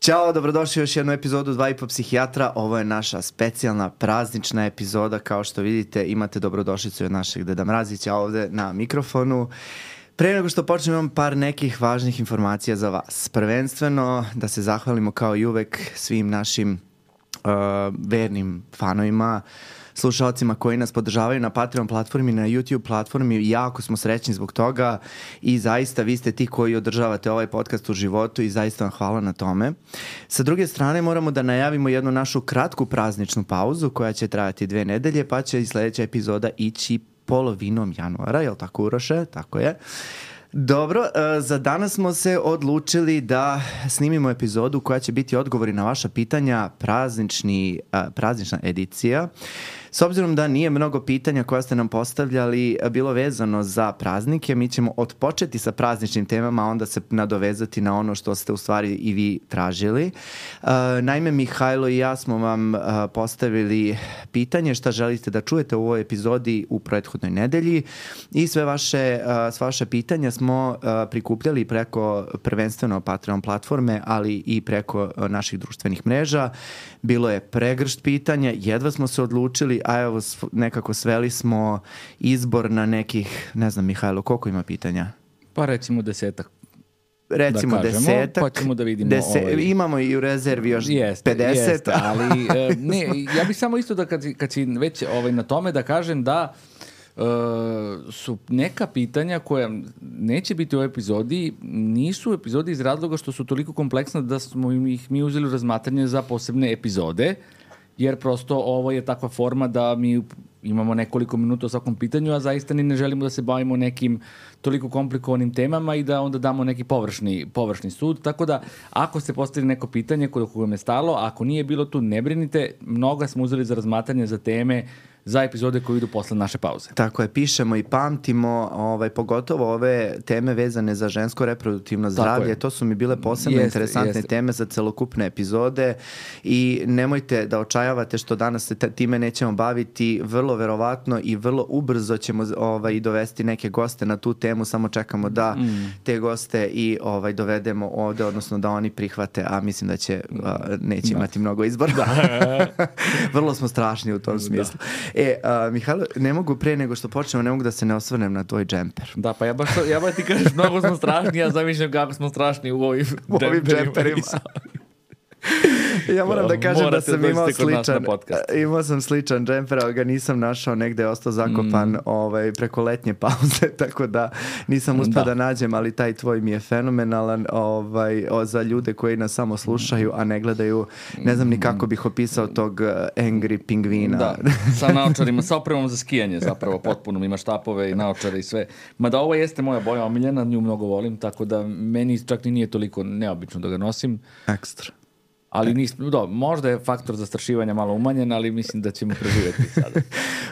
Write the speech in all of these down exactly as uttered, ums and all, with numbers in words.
Ćao, dobrodošli u još jednu epizodu Dva i po psihijatra. Ovo je naša specijalna praznična epizoda. Kao što vidite, imate dobrodošlicu od našeg Deda Mrazića ovde na mikrofonu. Pre nego što počnem, imam par nekih važnih informacija za vas. Prvenstveno da se zahvalimo kao i uvek svim našim uh, vernim fanovima, slušalcima koji nas podržavaju na Patreon platformi, na YouTube platformi. Jako smo srećni zbog toga i zaista vi ste ti koji održavate ovaj podcast u životu i zaista vam hvala na tome. Sa druge strane moramo da najavimo jednu našu kratku prazničnu pauzu koja će trajati dve nedelje, pa će i sledeća epizoda ići polovinom januara, jel tako, Uroše? Tako je. Dobro, za danas smo se odlučili da snimimo epizodu koja će biti odgovori na vaša pitanja, praznični, praznična edicija. S obzirom da nije mnogo pitanja koja ste nam postavljali bilo vezano za praznike, mi ćemo odpočeti sa prazničnim temama, a onda se nadovezati na ono što ste u stvari i vi tražili. Uh, naime, Mihajlo i ja smo vam uh, postavili pitanje šta želite da čujete u ovoj epizodi u prethodnoj nedelji i sve vaše, uh, sve vaše pitanja smo uh, prikupljali preko prvenstveno Patreon platforme, ali i preko uh, naših društvenih mreža. Bilo je pregršt pitanja, jedva smo se odlučili, a evo nekako sveli smo izbor na nekih, ne znam, Mihajlo, koliko ima pitanja? Pa recimo desetak. Recimo da kažemo, desetak. Pa ćemo da vidimo. Dese, ovaj... Imamo i u rezervi još jeste, pedeset. Jeste, ali e, ne, ja bih samo isto da kad, kad si već ovaj, na tome da kažem da Uh, su neka pitanja koja neće biti u ovoj epizodi, nisu u epizodi iz razloga što su toliko kompleksna da smo ih mi uzeli u razmatranje za posebne epizode, jer prosto ovo je takva forma da mi imamo nekoliko minuta o svakom pitanju, a zaista ni ne želimo da se bavimo nekim toliko komplikovanim temama i da onda damo neki površni, površni sud. Tako da, ako ste postavili neko pitanje koje vam je stalo, ako nije bilo tu, ne brinite, mnoga smo uzeli za razmatranje za teme za epizode koje idu posle naše pauze. Tako je, pišemo i pamtimo, ovaj, pogotovo ove teme vezane za žensko reproduktivno zdravlje. To su mi bile posebno jeste, interesantne jeste. teme za celokupne epizode i nemojte da očajavate što danas se time nećemo baviti. Vrlo verovatno i vrlo ubrzo ćemo ovaj, dovesti neke goste na tu temu, samo čekamo da mm. te goste i ovaj, dovedemo ovde, odnosno da oni prihvate, a mislim da će a, neće da. imati mnogo izbora. Da. Vrlo smo strašni u tom smislu. Da. E, uh, Mihajlo, ne mogu pre nego što počnemo, ne mogu da se ne osvrnem na tvoj džemper. Da, pa ja baš, ja baš ti kažeš, mnogo smo strašni, ja zamišljam kako smo strašni u ovim, u ovim džemperima. Ja moram da kažem da sam imao sličan, imao sam sličan džemper, ali ga nisam našao, negde je ostao zakopan mm. ovaj, preko letnje pauze, tako da nisam uspio da. da nađem, ali taj tvoj mi je fenomenalan ovaj, o, za ljude koji nas samo slušaju, a ne gledaju, ne znam ni kako bih opisao tog angry pingvina. Da, sa naočarima, sa opremom za skijanje zapravo, potpuno ima štapove i naočare i sve. Mada ovo jeste moja boja omiljena, nju mnogo volim, tako da meni čak ni nije toliko neobično da ga nosim. Ekstra. Ali nismo, do, možda je faktor zastrašivanja malo umanjen, ali mislim da ćemo preživjeti sada.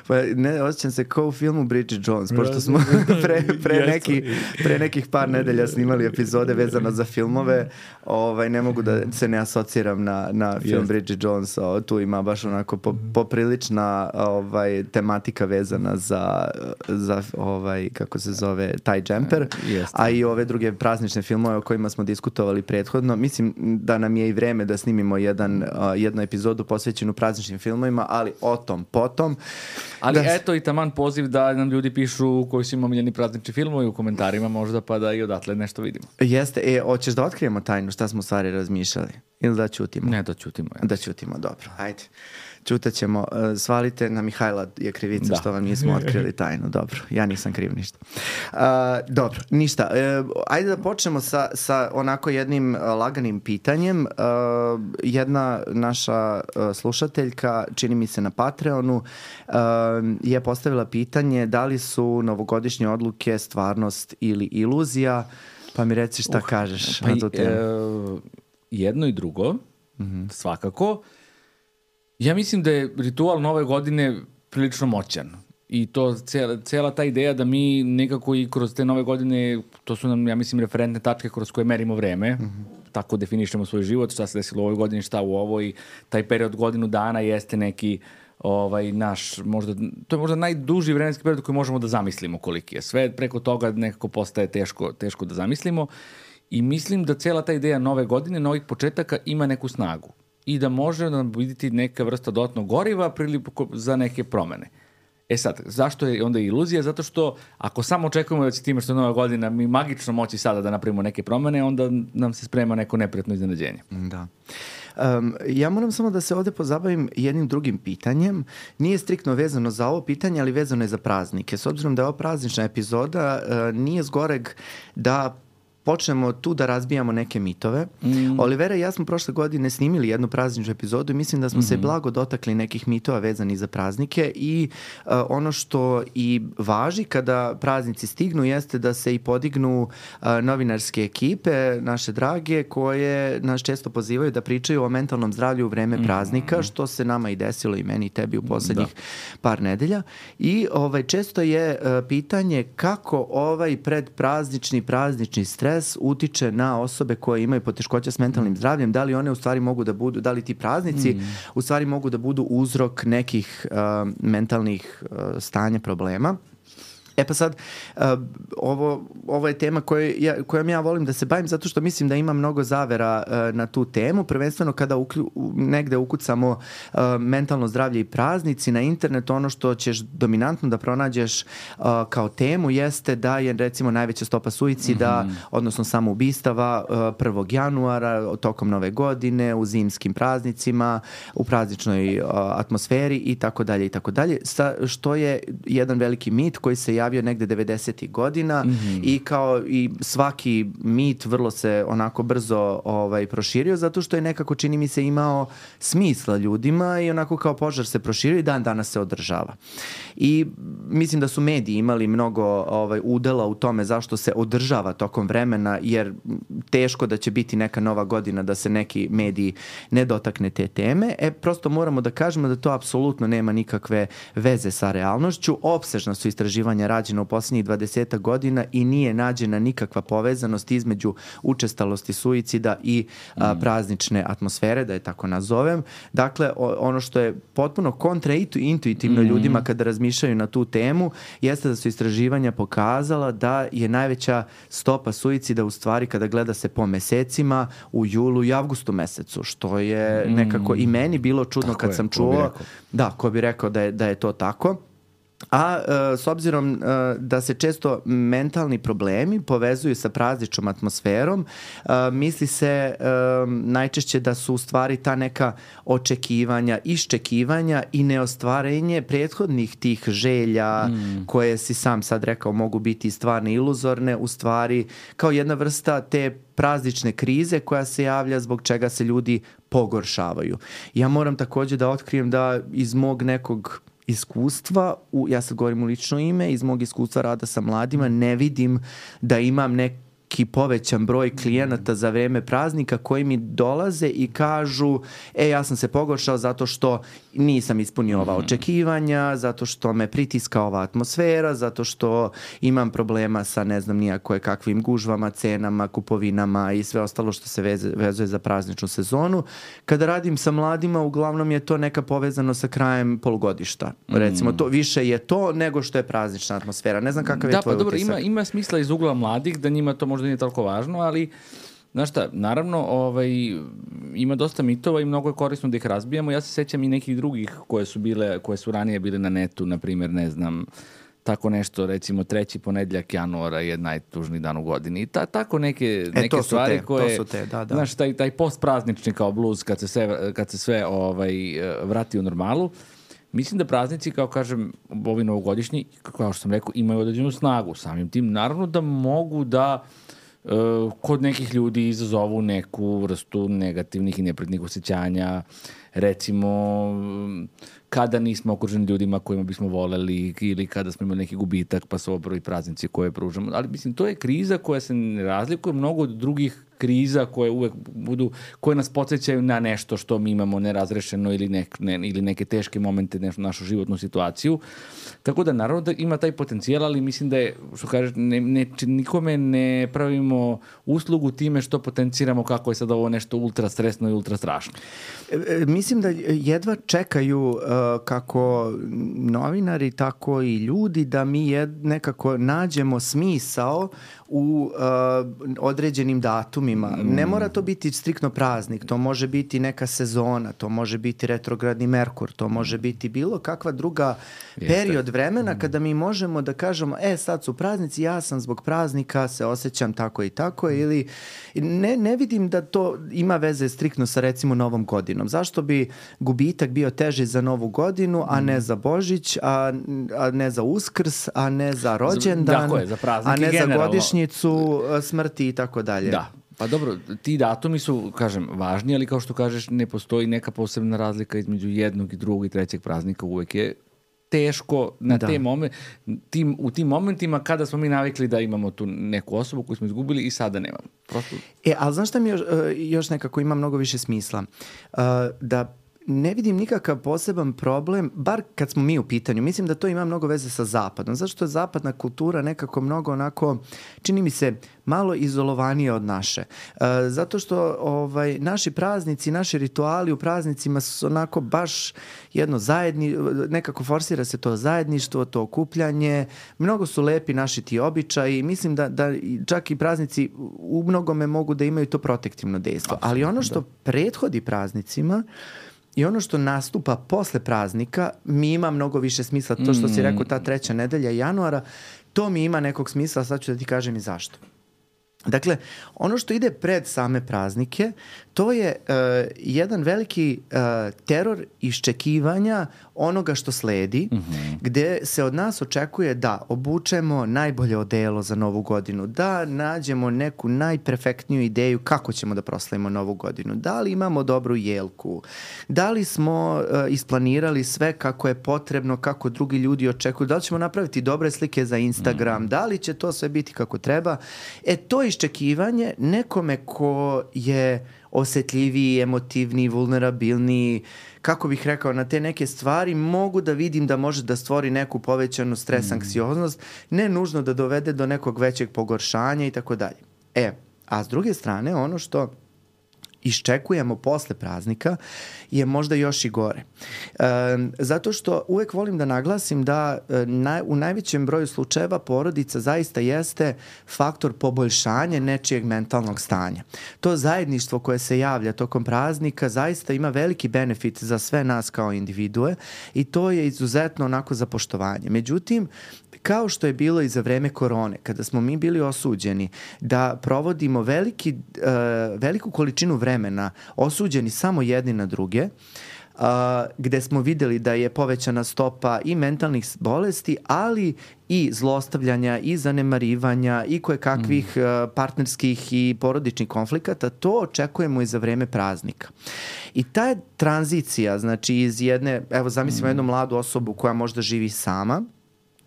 Pa ne, osjećam se kao u filmu Bridget Jones, pošto smo pre, pre, neki, pre nekih par nedelja snimali epizode vezano za filmove, ovaj, ne mogu da se ne asociram na, na film Jest. Bridget Jones, o, tu ima baš onako po, poprilična ovaj, tematika vezana za, za ovaj, kako se zove, taj džemper, Jest. a i ove druge praznične filmove o kojima smo diskutovali prethodno. Mislim da nam je i vreme da snimimo jedan, uh, jednu epizodu posvećenu prazničnim filmovima, ali o tom potom. Ali da... eto i taman poziv da nam ljudi pišu koji su im omiljeni praznični filmovi u komentarima, možda pa da i odatle nešto vidimo. Jeste. E, hoćeš da otkrijemo tajnu šta smo u stvari razmišljali? Ili da ćutimo? Ne, da ćutimo. Ja. Da ćutimo, dobro. Ajde. Čutat ćemo. Uh, svalite na Mihajla je krivica da. što vam nismo otkrili tajnu. Dobro, ja nisam kriv ništa. Uh, dobro, ništa. Uh, ajde da počnemo sa, sa onako jednim uh, laganim pitanjem. Uh, jedna naša uh, slušateljka, čini mi se na Patreonu, uh, je postavila pitanje da li su novogodišnje odluke stvarnost ili iluzija. Pa mi reci šta uh, kažeš pa na tu temu. Uh, jedno i drugo, mm-hmm. svakako. Ja mislim da je ritual nove godine prilično moćan i to cijela, cijela ta ideja da mi nekako i kroz te nove godine, to su nam, ja mislim, referentne tačke kroz koje merimo vreme, mm-hmm. tako definišemo svoj život, šta se desilo u ovoj godini, šta u ovoj, taj period godinu dana jeste neki ovaj naš, možda, to je možda najduži vremenski period koji možemo da zamislimo koliki je. Sve preko toga nekako postaje teško, teško da zamislimo. I mislim da cijela ta ideja nove godine, novih početaka ima neku snagu i da može nam vidjeti neka vrsta dodatnog goriva priliku za neke promene. E sad, zašto je onda iluzija? Zato što ako samo očekujemo da će time što je nova godina mi magično moći sada da napravimo neke promene, onda nam se sprema neko neprijatno iznenađenje. Da. Um, ja moram samo da se ovde pozabavim jednim drugim pitanjem. Nije striktno vezano za ovo pitanje, ali vezano je za praznike. S obzirom da je ovo praznična epizoda, uh, nije zgoreg da počnemo tu da razbijamo neke mitove. Mm. Olivera i ja smo prošle godine snimili jednu prazničnu epizodu i mislim da smo mm-hmm. se blago dotakli nekih mitova vezanih za praznike i uh, ono što i važi kada praznici stignu jeste da se i podignu uh, novinarske ekipe, naše drage, koje nas često pozivaju da pričaju o mentalnom zdravlju u vreme mm-hmm. praznika, što se nama i desilo i meni i tebi u poslednjih da. par nedelja. I ovaj, često je uh, pitanje kako ovaj predpraznični, praznični stres utiče na osobe koje imaju poteškoća s mentalnim zdravljem, da li one u stvari mogu da budu, da li ti praznici mm. u stvari mogu da budu uzrok nekih uh, mentalnih uh, stanja, problema. E pa sad, uh, ovo, ovo je tema koje ja, kojom ja volim da se bavim zato što mislim da ima mnogo zavera uh, na tu temu, prvenstveno kada uklju, negde ukucamo uh, mentalno zdravlje i praznici na internetu, ono što ćeš dominantno da pronađeš uh, kao temu jeste da je recimo najveća stopa suicida, mm-hmm. odnosno samoubistava uh, prvog januara, tokom nove godine, u zimskim praznicima, u prazničnoj uh, atmosferi i tako dalje i tako dalje, sa, što je jedan veliki mit koji se javio negde devedesetih godina mm-hmm. i kao i svaki mit vrlo se onako brzo ovaj, proširio zato što je nekako, čini mi se, imao smisla ljudima i onako kao požar se proširio i dan danas se održava. I mislim da su mediji imali mnogo ovaj, udela u tome zašto se održava tokom vremena, jer teško da će biti neka nova godina da se neki mediji ne dotakne te teme. E, prosto moramo da kažemo da to apsolutno nema nikakve veze sa realnošću. Opsežna su istraživanja rađena u poslednjih dvadesetak godina i nije nađena nikakva povezanost između učestalosti suicida i a, praznične atmosfere, da je tako nazovem. Dakle, o, ono što je potpuno kontraintuitivno mm. ljudima kada razmišljaju na tu temu jeste da su istraživanja pokazala da je najveća stopa suicida u stvari kada gleda se po mesecima u julu i avgustu mesecu, što je mm. nekako i meni bilo čudno tako kad je, sam čuo. Da, ko bi rekao da je, da je to tako. A uh, s obzirom uh, da se često mentalni problemi povezuju sa prazničnom atmosferom, uh, misli se uh, najčešće da su u stvari ta neka očekivanja, iščekivanja i neostvarenje prethodnih tih želja mm. koje si sam sad rekao mogu biti stvarne iluzorne, u stvari kao jedna vrsta te praznične krize koja se javlja zbog čega se ljudi pogoršavaju. Ja moram takođe da otkrijem da iz mog nekog iskustva, u, ja sad govorim u lično ime, iz mog iskustva rada sa mladima, ne vidim da imam neki povećan broj klijenata za vreme praznika koji mi dolaze i kažu e, ja sam se pogoršao zato što nisam ispunio ova očekivanja, zato što me pritiska ova atmosfera, zato što imam problema sa ne znam nija koje kakvim gužvama, cenama, kupovinama i sve ostalo što se veze, vezuje za prazničnu sezonu. Kada radim sa mladima, uglavnom je to neka povezano sa krajem polugodišta. Recimo, to više je to nego što je praznična atmosfera. Ne znam kakav je da, tvoj pa dobro, utisak. Ima, ima smisla iz ugla mladih da njima to možda nije toliko važno, ali znaš šta, naravno ovaj, ima dosta mitova i mnogo je korisno da ih razbijamo. Ja se sećam i nekih drugih koje su bile, koje su ranije bile na netu, na primjer, ne znam, tako nešto, recimo treći ponedjeljak januara je najtužniji dan u godini. I ta, tako neke, e, neke stvari te, koje, to su te, da, da. Znaš, taj, taj postpraznični kao bluz kad se sve, kad se sve ovaj, vrati u normalu. Mislim da praznici, kao kažem, ovi novogodišnji, kao što sam rekao, imaju određenu snagu. Samim tim, naravno da mogu da uh, kod nekih ljudi izazovu neku vrstu negativnih i neprijatnih osjećanja. Recimo, kada nismo okruženi ljudima kojima bismo voleli ili kada smo imali neki gubitak, pa su ovo prvi praznici koje pružamo. Ali mislim, to je kriza koja se ne razlikuje mnogo od drugih kriza koje uvek budu, koje nas podsjećaju na nešto što mi imamo nerazrešeno ili, nek, ne, ili neke teške momente, nešto, našu životnu situaciju. Tako da naravno da ima taj potencijal, ali mislim da je, što kažeš, ne, ne, nikome ne pravimo uslugu time što potenciramo kako je sad ovo nešto ultra stresno i ultra strašno. E, mislim da jedva čekaju kako novinari, tako i ljudi, da mi jed, nekako nađemo smisao u uh, određenim datumima. Mm. Ne mora to biti striktno praznik, to može biti neka sezona, to može biti retrogradni Merkur, to može biti bilo kakva druga Jeste. period vremena kada mi možemo da kažemo, e sad su praznici, ja sam zbog praznika se osjećam tako i tako, ili ne, ne vidim da to ima veze striktno sa recimo Novom godinom. Zašto bi gubitak bio teži za Novu godinu, a ne za Božić, a, a ne za Uskrs, a ne za rođendan, za, je, za a ne generalno. za godišnjicu smrti i tako dalje. Da. Pa dobro, ti datumi su, kažem, važni, ali kao što kažeš, ne postoji neka posebna razlika između jednog i drugog i trećeg praznika. Uvek je teško na da. te momen, tim, u tim momentima kada smo mi navikli da imamo tu neku osobu koju smo izgubili i sada nemamo. Prosto... E, ali znaš šta mi još, još nekako ima mnogo više smisla? Uh, da ne vidim nikakav poseban problem, bar kad smo mi u pitanju. Mislim da to ima mnogo veze sa zapadom. Zašto je zapadna kultura nekako mnogo onako, čini mi se, malo izolovanije od naše. E, zato što ovaj, naši praznici, naši rituali u praznicima su onako baš jedno zajedni, nekako forsira se to zajedništvo, to okupljanje. Mnogo su lepi naši ti običaji. Mislim da, da čak i praznici u mnogome mogu da imaju to protektivno dejstvo. Ali ono što prethodi praznicima i ono što nastupa posle praznika mi ima mnogo više smisla. To što si rekao, ta treća nedelja januara, to mi ima nekog smisla, sad ću da ti kažem i zašto. Dakle, ono što ide pred same praznike, to je uh, jedan veliki uh, teror iščekivanja onoga što sledi, mm-hmm. gde se od nas očekuje da obučemo najbolje odelo za Novu godinu, da nađemo neku najperfektniju ideju kako ćemo da proslavimo Novu godinu, da li imamo dobru jelku, da li smo uh, isplanirali sve kako je potrebno, kako drugi ljudi očekuju, da li ćemo napraviti dobre slike za Instagram, mm-hmm. da li će to sve biti kako treba. E, to iščekivanje nekome ko je osetljiviji, emotivniji, vulnerabilniji, kako bih rekao, na te neke stvari mogu da vidim da može da stvori neku povećanu stres, mm. anksioznost, ne nužno da dovede do nekog većeg pogoršanja i tako dalje. E, a s druge strane, ono što iščekujemo posle praznika je možda još i gore. E, zato što uvek volim da naglasim da e, na, u najvećem broju slučajeva porodica zaista jeste faktor poboljšanja nečijeg mentalnog stanja. To zajedništvo koje se javlja tokom praznika zaista ima veliki benefit za sve nas kao individue i to je izuzetno onako za poštovanje. Međutim, kao što je bilo i za vreme korone, kada smo mi bili osuđeni da provodimo veliki, uh, veliku količinu vremena osuđeni samo jedni na druge, Uh, gde smo videli da je povećana stopa i mentalnih bolesti, ali i zlostavljanja i zanemarivanja i kojekakvih mm. uh, partnerskih i porodičnih konflikata, to očekujemo i za vreme praznika. I ta tranzicija, znači iz jedne, evo zamislimo mm. jednu mladu osobu koja možda živi sama,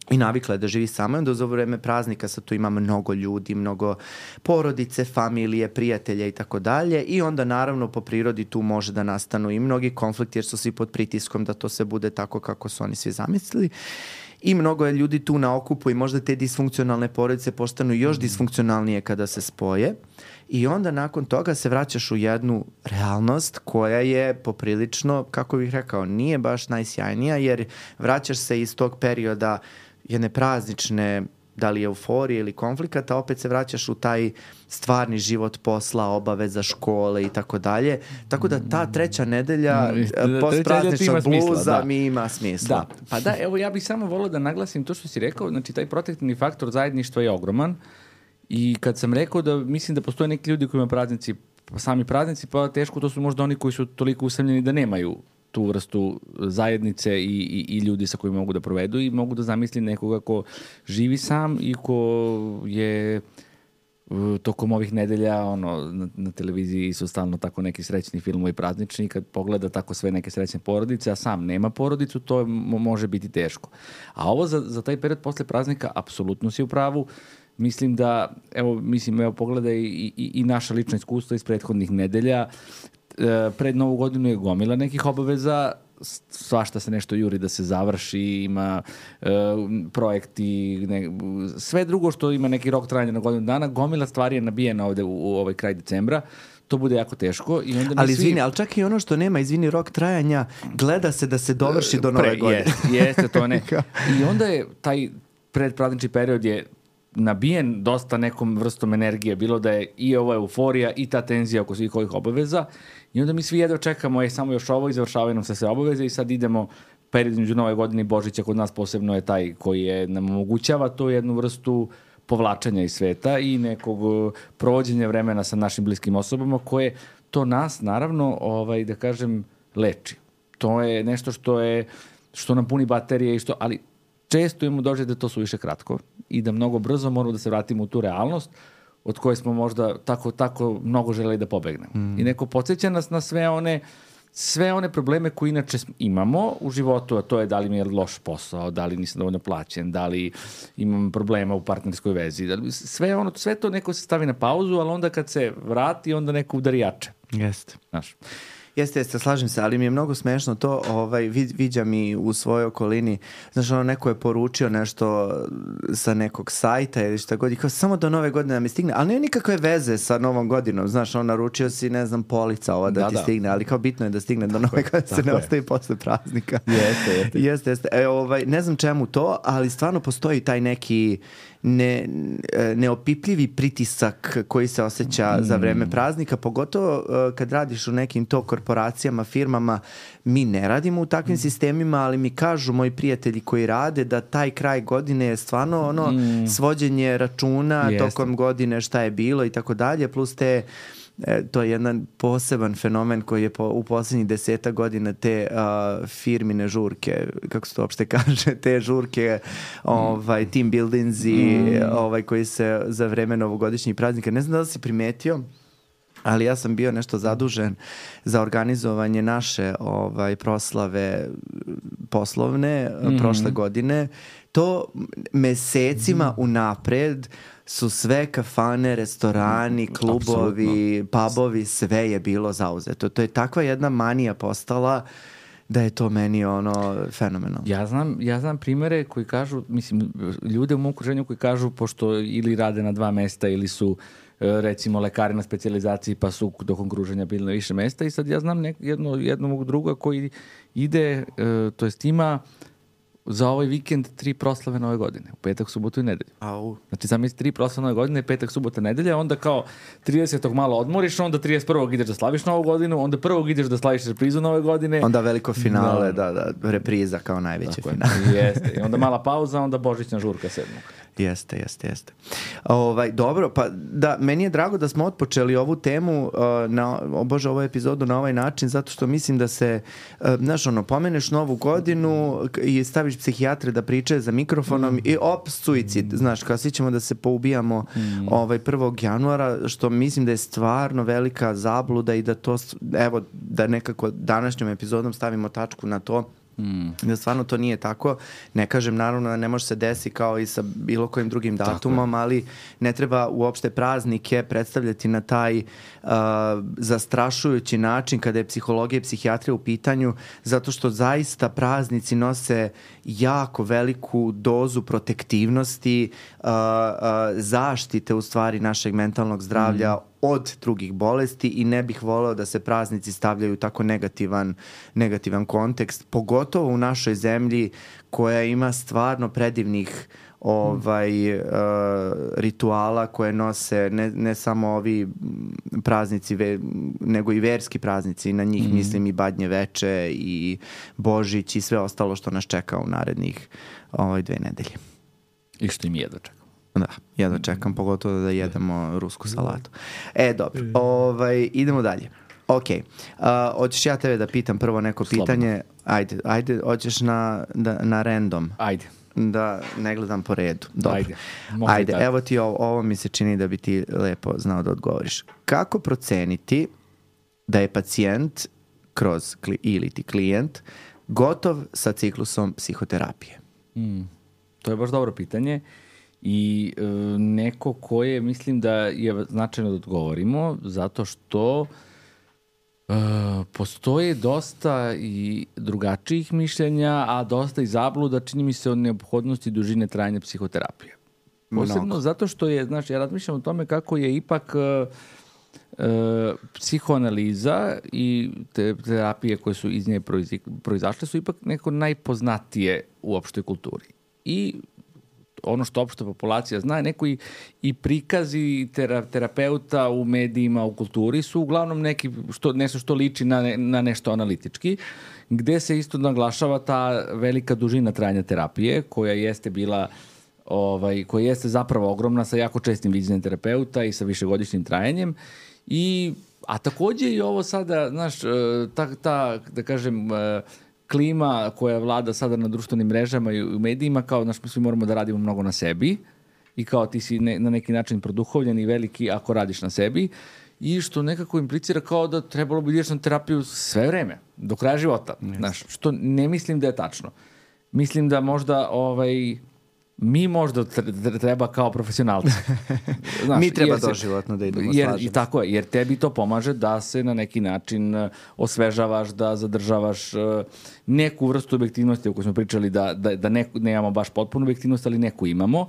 i navikla je da živi sama, onda za vreme praznika sad tu ima mnogo ljudi, mnogo porodice, familije, prijatelja i tako dalje i onda naravno po prirodi tu može da nastanu i mnogi konflikti jer su svi pod pritiskom da to se bude tako kako su oni svi zamislili. I mnogo je ljudi tu na okupu i možda te disfunkcionalne porodice postanu još disfunkcionalnije kada se spoje i onda nakon toga se vraćaš u jednu realnost koja je poprilično, kako bih rekao, nije baš najsjajnija jer vraćaš se iz tog perioda jedne praznične, da li euforije ili konflikata, opet se vraćaš u taj stvarni život posla, obaveza, škole i tako dalje. Tako da ta treća nedelja mm, postprazničnog bluza da. mi ima smisla. Da. Pa da, evo ja bih samo volio da naglasim to što si rekao, znači taj protektivni faktor zajedništva je ogroman i kad sam rekao da mislim da postoje neki ljudi koji imaju praznici, sami praznici, pa teško to su možda oni koji su toliko usamljeni da nemaju tu vrstu zajednice i, i, i ljudi sa kojima mogu da provedu i mogu da zamislim nekoga ko živi sam i ko je uh, tokom ovih nedelja ono, na, na televiziji su stalno tako neki srećni filmovi praznični, kad pogleda tako sve neke srećne porodice, a sam nema porodicu, to mo- može biti teško. A ovo za, za taj period posle praznika apsolutno si u pravu. Mislim da, evo, mislim, evo, pogledaj i, i, i naša lična iskustva iz prethodnih nedelja. Pred Novu godinu je gomila nekih obaveza, svašta se nešto juri da se završi, ima e, projekti, ne, sve drugo što ima neki rok trajanja na godinu dana, gomila stvari je nabijena ovde u, u ovaj kraj decembra. to bude jako teško. I onda mi ali svi... izvini, ali čak i ono što nema, izvini, rok trajanja, gleda se da se dovrši do nove Pre, godine. Jeste, jeste, to ne. I onda je taj predpraznični period je nabijen dosta nekom vrstom energije, bilo da je i ova euforija i ta tenzija oko svih ovih obaveza i onda mi svi jedva čekamo, je samo još ovo i završavaju nam se sve obaveze i sad idemo period između Nove godine i Božića, kod nas posebno je taj koji je, nam omogućava tu jednu vrstu povlačenja iz sveta i nekog provođenja vremena sa našim bliskim osobama koje to nas naravno, ovaj, da kažem, leči. To je nešto što je što nam puni baterije i što, ali često imamo dođe da to su više kratko i da mnogo brzo moramo da se vratimo u tu realnost od koje smo možda tako, tako mnogo želeli da pobegnemo. Mm. I neko podsjeća nas na sve one sve one probleme koje inače imamo u životu, a to je da li mi je loš posao, da li nisam dovoljno plaćen, da li imam problema u partnerskoj vezi. Da li, sve, ono, sve to neko se stavi na pauzu, ali onda kad se vrati, onda neko udari jače. Jeste. Znaš. Jeste, jeste, slažem se, ali mi je mnogo smešno to, ovaj, vid, viđam i u svojoj okolini, znaš, ono, neko je poručio nešto sa nekog sajta ili šta god, i kao samo do nove godine da mi stigne, ali nema nikakve veze sa novom godinom, znaš, on naručio si, ne znam, polica ova da, da ti da. stigne, ali kao bitno je da stigne do nove godine, se ne je. ostaje posle praznika. Jeste, jeste. Jeste, jeste. E, ovaj, ne znam čemu to, ali stvarno postoji taj neki ne, neopipljivi pritisak koji se osjeća mm. za vreme praznika, pogotovo uh, kad radiš u nekim to korporacijama, firmama. Mi ne radimo u takvim mm. sistemima, ali mi kažu moji prijatelji koji rade da taj kraj godine je stvarno ono mm. svođenje računa Jeste. tokom godine šta je bilo i tako dalje, plus te E, to je jedan poseban fenomen koji je po, u posljednjih deseta godina te uh, firmine žurke, kako se to uopšte kaže, te žurke, ovaj, team buildingsi, mm. ovaj, koji se za vreme novogodišnjih praznika, ne znam da li si primetio, ali ja sam bio nešto zadužen za organizovanje naše ovaj, proslave poslovne mm. prošle godine. To mesecima mm. unapred su sve kafane, restorani, klubovi, Absolutno. pubovi, sve je bilo zauzeto. To je takva jedna manija postala da je to meni ono fenomenalno. Ja znam, ja znam primere koji kažu, mislim, ljude u mom okruženju koji kažu, pošto ili rade na dva mesta ili su recimo lekari na specijalizaciji pa su tokom kruženja bili na više mesta i sad ja znam nek, jedno, jednog druga koji ide, to jest ima za ovaj vikend tri proslave nove godine. U petak, subotu i nedelju. Au. Znači, zamisli tri proslave nove godine, petak, subota, nedelja, onda kao tridesetog malo odmoriš, onda trideset prvog ideš da slaviš novu godinu, onda prvog ideš da slaviš reprizu nove godine. Onda veliko finale, da, da, da repriza kao najveće Tako finale. Je. Jeste. I onda mala pauza, onda božićna žurka sedmog. Jeste, jeste, jeste. Ovaj, dobro, pa da, meni je drago da smo otpočeli ovu temu, uh, na, bože, ovu epizodu na ovaj način, zato što mislim da se, uh, znaš, ono, pomeneš novu godinu i staviš psihijatre da pričaju za mikrofonom mm. i op, suicid, znaš, kao svi ćemo da se poubijamo mm. ovaj, prvog januara, što mislim da je stvarno velika zabluda i da to, evo, da nekako današnjom epizodom stavimo tačku na to. Mm. Da stvarno to nije tako. Ne kažem naravno da ne može se desiti kao i sa bilo kojim drugim datumom, ali ne treba uopšte praznike predstavljati na taj uh, zastrašujući način kada je psihologija i psihijatrija u pitanju, zato što zaista praznici nose jako veliku dozu protektivnosti, uh, uh, zaštite u stvari našeg mentalnog zdravlja mm. od drugih bolesti i ne bih voleo da se praznici stavljaju u tako negativan, negativan kontekst, pogotovo u našoj zemlji koja ima stvarno predivnih ovaj, uh, rituala koje nose ne, ne samo ovi praznici, ve, nego i verski praznici. Na njih mm. mislim i Badnje veče i Božić i sve ostalo što nas čeka u narednih ovaj, dve nedelje. I što im jedva čeka. Da, jedva čekam, pogotovo da jedemo rusku salatu. E, dobro, ovaj, idemo dalje. Ok, uh, hoćeš ja tebe da pitam prvo neko Slobodno. pitanje? Ajde, ajde, hoćeš na, da, na random? Ajde. Da ne gledam po redu. Dobro. Ajde, ajde evo ti ovo, ovo mi se čini da bi ti lepo znao da odgovoriš. Kako proceniti da je pacijent kroz, ili ti klijent gotov sa ciklusom psihoterapije? Mm, to je baš dobro pitanje. I e, neko koje mislim da je značajno da odgovorimo, zato što e, postoje dosta i drugačijih mišljenja, a dosta i zabluda, čini mi se, o neophodnosti dužine trajanja psihoterapije. Posebno Mnogo. zato što je, znaš, ja razmišljam o tome kako je ipak e, e, psihoanaliza i te terapije koje su iz nje proizašle su ipak neko najpoznatije u opštoj kulturi. I ono što opšta populacija zna, neko i, i prikazi tera, terapeuta u medijima, u kulturi su uglavnom neki što, nešto što liči na, ne, na nešto analitički, gde se isto naglašava ta velika dužina trajanja terapije, koja jeste bila ovaj, koja jeste zapravo ogromna sa jako čestim viđenjem terapeuta i sa višegodišnjim trajanjem. I, a takođe i ovo sada, znaš, ta, ta da kažem, klima koja vlada sada na društvenim mrežama i u medijima, kao znaš, mi svi moramo da radimo mnogo na sebi i kao ti si ne, na neki način produhovljen i veliki ako radiš na sebi i što nekako implicira kao da trebalo bi ideš na terapiju sve vreme, do kraja života. Yes. Znaš, što ne mislim da je tačno. Mislim da možda ovaj, mi možda treba kao profesionalci. Znaš, mi treba doživotno da idemo, jer, slažem. Tako je, jer tebi to pomaže da se na neki način osvežavaš, da zadržavaš neku vrstu objektivnosti o kojoj smo pričali, da, da, da neku, nemamo baš potpunu objektivnost, ali neku imamo.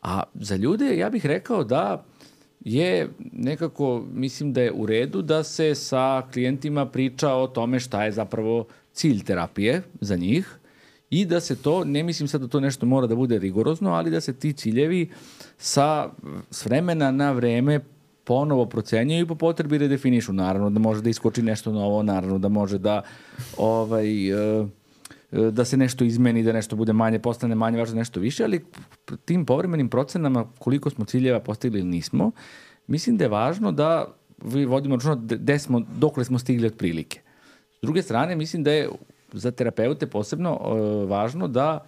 A za ljude ja bih rekao da je nekako, mislim da je u redu da se sa klijentima priča o tome šta je zapravo cilj terapije za njih i da se to, ne mislim sad da to nešto mora da bude rigorozno, ali da se ti ciljevi sa s vremena na vreme ponovo procenjuju i po potrebi redefinišu. Naravno da može da iskoči nešto novo, naravno da može da ovaj, da se nešto izmeni, da nešto bude manje, postane manje važno, nešto više, ali tim povremenim procenama koliko smo ciljeva postigli ili nismo, mislim da je važno da vodimo računa gde smo, dokle smo stigli otprilike. S druge strane, mislim da je za terapeute posebno uh, važno da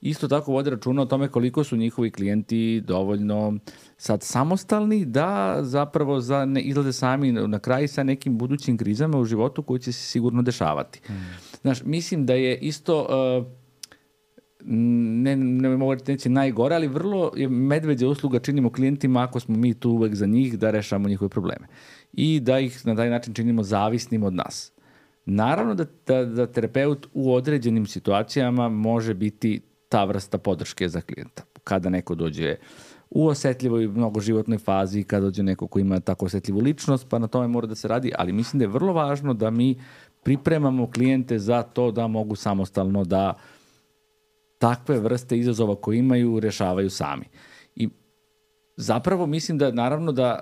isto tako vode računa o tome koliko su njihovi klijenti dovoljno sad samostalni da zapravo za ne izlaze sami na kraj sa nekim budućim krizama u životu koji će se sigurno dešavati. Mm. Znaš, mislim da je isto uh, ne, ne mogu reći najgore, ali vrlo je medveđa usluga činimo klijentima ako smo mi tu uvek za njih da rešamo njihove probleme i da ih na taj način činimo zavisnim od nas. Naravno da, da, da terapeut u određenim situacijama može biti ta vrsta podrške za klijenta. Kada neko dođe u osetljivoj mnogo životnoj fazi, kada dođe neko ko ima tako osetljivu ličnost, pa na tome mora da se radi, ali mislim da je vrlo važno da mi pripremamo klijente za to da mogu samostalno da takve vrste izazova koje imaju rešavaju sami. I zapravo mislim da naravno da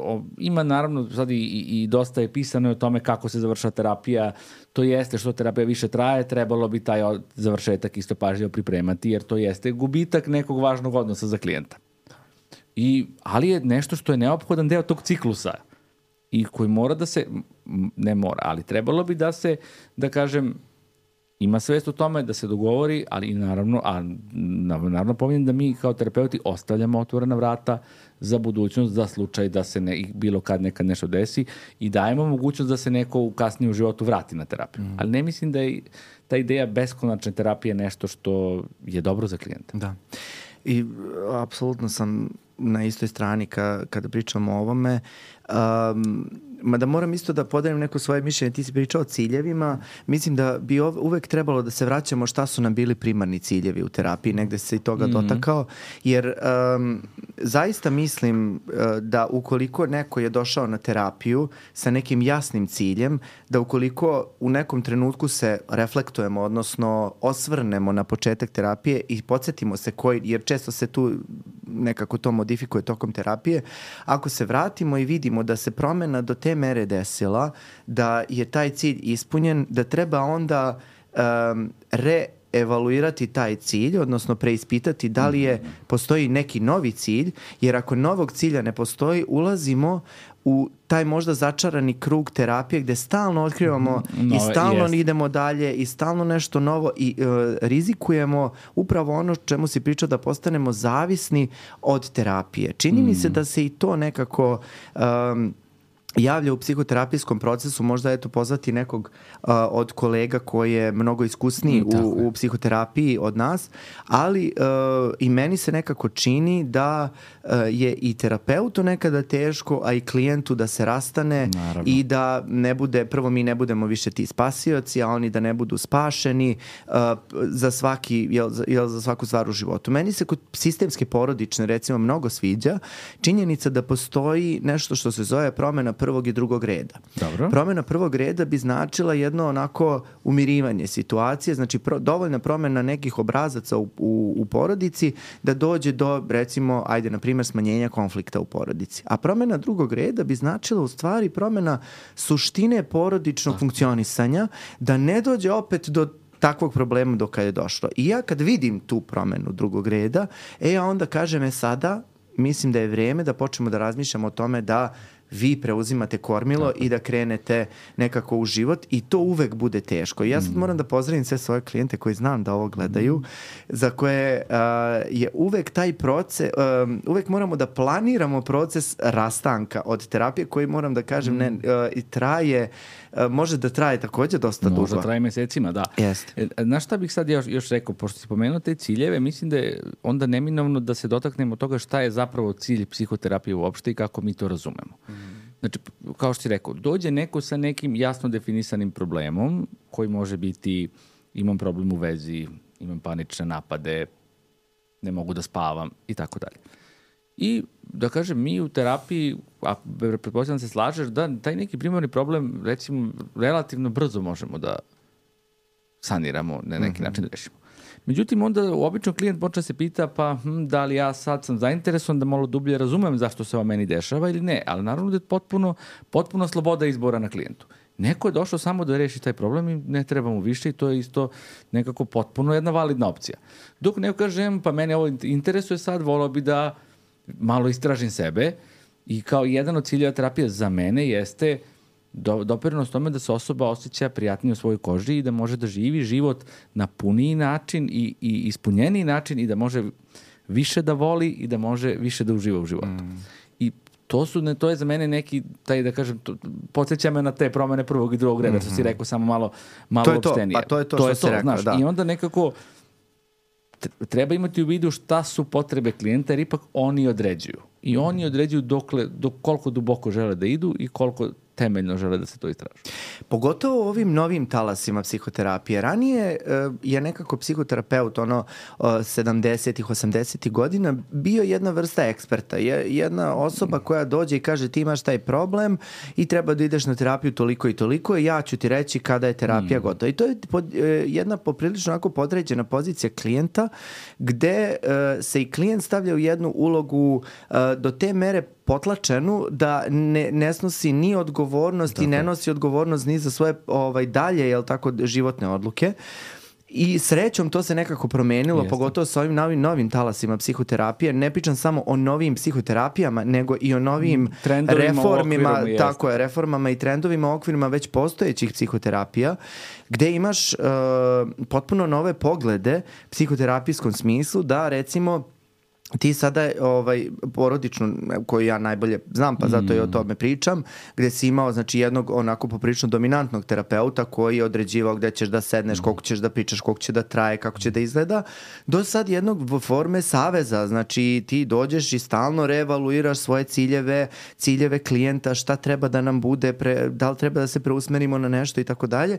uh, ima naravno sad i, i, i dosta je pisano o tome kako se završa terapija, to jeste što terapija više traje, trebalo bi taj završetak isto pažljivo pripremati jer to jeste gubitak nekog važnog odnosa za klijenta. I, ali je nešto što je neophodan deo tog ciklusa i koji mora da se, ne mora, ali trebalo bi da se, da kažem, ima svest o tome da se dogovori, ali i naravno, a naravno pominjem da mi kao terapeuti ostavljamo otvorena vrata za budućnost, za slučaj da se ne, bilo kad nekad nešto desi i dajemo mogućnost da se neko u kasnije u životu vrati na terapiju. Mm. Ali ne mislim da je ta ideja beskonačne terapije nešto što je dobro za klijenta. Da. I apsolutno sam na istoj strani ka, kada pričamo o ovome. Um, mada moram isto da podelim neko svoje mišljenje, ti si pričao o ciljevima, mislim da bi ov, uvek trebalo da se vraćamo šta su nam bili primarni ciljevi u terapiji, negde se i toga mm-hmm. dotakao, jer um, zaista mislim uh, da ukoliko neko je došao na terapiju sa nekim jasnim ciljem, da ukoliko u nekom trenutku se reflektujemo, odnosno osvrnemo na početak terapije i podsjetimo se koji, jer često se tu nekako to modifikuje tokom terapije, ako se vratimo i vidimo da se promena do te mere desila, da je taj cilj ispunjen, da treba onda um, reevaluirati taj cilj, odnosno preispitati da li je, postoji neki novi cilj, jer ako novog cilja ne postoji, ulazimo u taj možda začarani krug terapije gde stalno otkrivamo no, i stalno jest. idemo dalje i stalno nešto novo i uh, rizikujemo upravo ono čemu si pričao da postanemo zavisni od terapije. Čini mm. mi se da se i to nekako um, javlja u psihoterapijskom procesu, možda eto pozvati nekog uh, od kolega koji je mnogo iskusniji mm, u, u psihoterapiji od nas, ali uh, i meni se nekako čini da uh, je i terapeutu nekada teško, a i klijentu da se rastane. Naravno. I da ne bude, prvo mi ne budemo više ti spasioci, a oni da ne budu spašeni uh, za svaki, jel, jel, za svaku stvar u životu. Meni se kod sistemske porodične recimo mnogo sviđa činjenica da postoji nešto što se zove promena prvog i drugog reda. Dobro. Promjena prvog reda bi značila jedno onako umirivanje situacije, znači pro, dovoljna promjena nekih obrazaca u, u, u porodici da dođe do, recimo, ajde, na primjer, smanjenja konflikta u porodici. A promjena drugog reda bi značila u stvari promjena suštine porodičnog Aha. funkcionisanja, da ne dođe opet do takvog problema do kada je došlo. I ja kad vidim tu promjenu drugog reda, e ja onda kažem, e sada mislim da je vrijeme da počnemo da razmišljamo o tome da vi preuzimate kormilo i da krenete nekako u život i to uvek bude teško. I ja sad moram da pozdravim sve svoje klijente koji znam da ovo gledaju, za koje uh, je uvek taj proces, uh, uvek moramo da planiramo proces rastanka od terapije koji, moram da kažem, ne, uh, i traje, uh, može da traje također dosta dugo. Može traje mesecima, da. Jeste. E, znaš šta bih sad još, još rekao, pošto si pomenuo te ciljeve, mislim da je onda neminovno da se dotaknemo toga šta je zapravo cilj psihoterapije uopšte i kako mi to razumemo. Znači, kao što si rekao, dođe neko sa nekim jasno definisanim problemom koji može biti imam problem u vezi, imam panične napade, ne mogu da spavam i tako dalje. I da kažem, mi u terapiji, a pretpostavljam se slažeš, da taj neki primarni problem, recimo, relativno brzo možemo da saniramo, na neki mm-hmm. način da rešimo. Međutim, onda obično klijent počne se pita pa hm, da li ja sad sam zainteresovan da malo dublje razumem zašto se ovo meni dešava ili ne, ali naravno da je potpuno, potpuno sloboda izbora na klijentu. Neko je došao samo da reši taj problem i ne treba mu više i to je isto nekako potpuno jedna validna opcija. Dok neko kaže, pa mene ovo interesuje sad, volao bi da malo istražim sebe i kao jedan od ciljeva terapije za mene jeste Do, doprinos tome da se osoba osjeća prijatnije u svojoj koži i da može da živi život na puniji način i, i ispunjeniji način i da može više da voli i da može više da uživa u životu. Mm. I to su, ne, to je za mene neki, taj da kažem, to, podsjeća me na te promene prvog i drugog reda, mm-hmm. što si rekao, samo malo, malo to je opštenije. To, pa to je to, to što je si to, rekao, znaš, da. I onda nekako treba imati u vidu šta su potrebe klijenta, jer ipak oni određuju. I oni određuju dokle, dok, koliko duboko žele da idu i koliko temeljno žele da se to istraži. Pogotovo u ovim novim talasima psihoterapije. Ranije uh, je nekako psihoterapeut ono uh, sedamdesetih, osamdesetih godina bio jedna vrsta eksperta. Je, jedna osoba koja dođe i kaže ti imaš taj problem i treba da ideš na terapiju toliko i toliko i ja ću ti reći kada je terapija mm. gotova. I to je pod, uh, jedna poprilično onako podređena pozicija klijenta gde uh, se i klijent stavlja u jednu ulogu uh, do te mere potlačenu da ne, ne snosi ni odgovornost tako. I ne nosi odgovornost ni za svoje ovaj, dalje, jel tako, životne odluke. I srećom to se nekako promenilo, Jeste. Pogotovo sa ovim novim, novim talasima psihoterapije. Ne pričam samo o novim psihoterapijama, nego i o novim trendovima, reformima, okvirima, tako je, reformama i trendovima, okvirima već postojećih psihoterapija, gde imaš uh, potpuno nove poglede u psihoterapijskom smislu da, recimo, ti sada ovaj, porodičnu, koju ja najbolje znam, pa zato i o tome pričam, gde si imao znači, jednog onako poprilično dominantnog terapeuta koji je određivao gde ćeš da sedneš, koliko ćeš da pričaš, koliko će da traje, kako će da izgleda, do sad jednog forme saveza, znači ti dođeš i stalno reevaluiraš svoje ciljeve, ciljeve klijenta, šta treba da nam bude, pre, da li treba da se preusmerimo na nešto i tako dalje,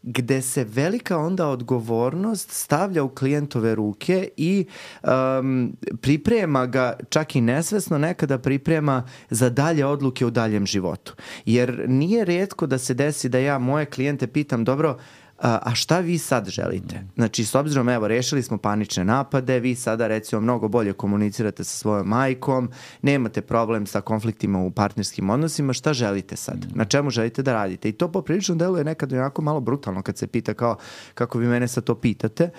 gde se velika onda odgovornost stavlja u klijentove ruke i um, priprema ga, čak i nesvesno nekada priprema za dalje odluke u daljem životu. Jer nije rijetko da se desi da ja moje klijente pitam, dobro, a šta vi sad želite? Znači, s obzirom, evo, rešili smo panične napade, vi sada, recimo, mnogo bolje komunicirate sa svojom majkom, nemate problem sa konfliktima u partnerskim odnosima, šta želite sad? Na čemu želite da radite? I to poprilično deluje nekad onako malo brutalno kad se pita kao kako vi mene sad to pitate.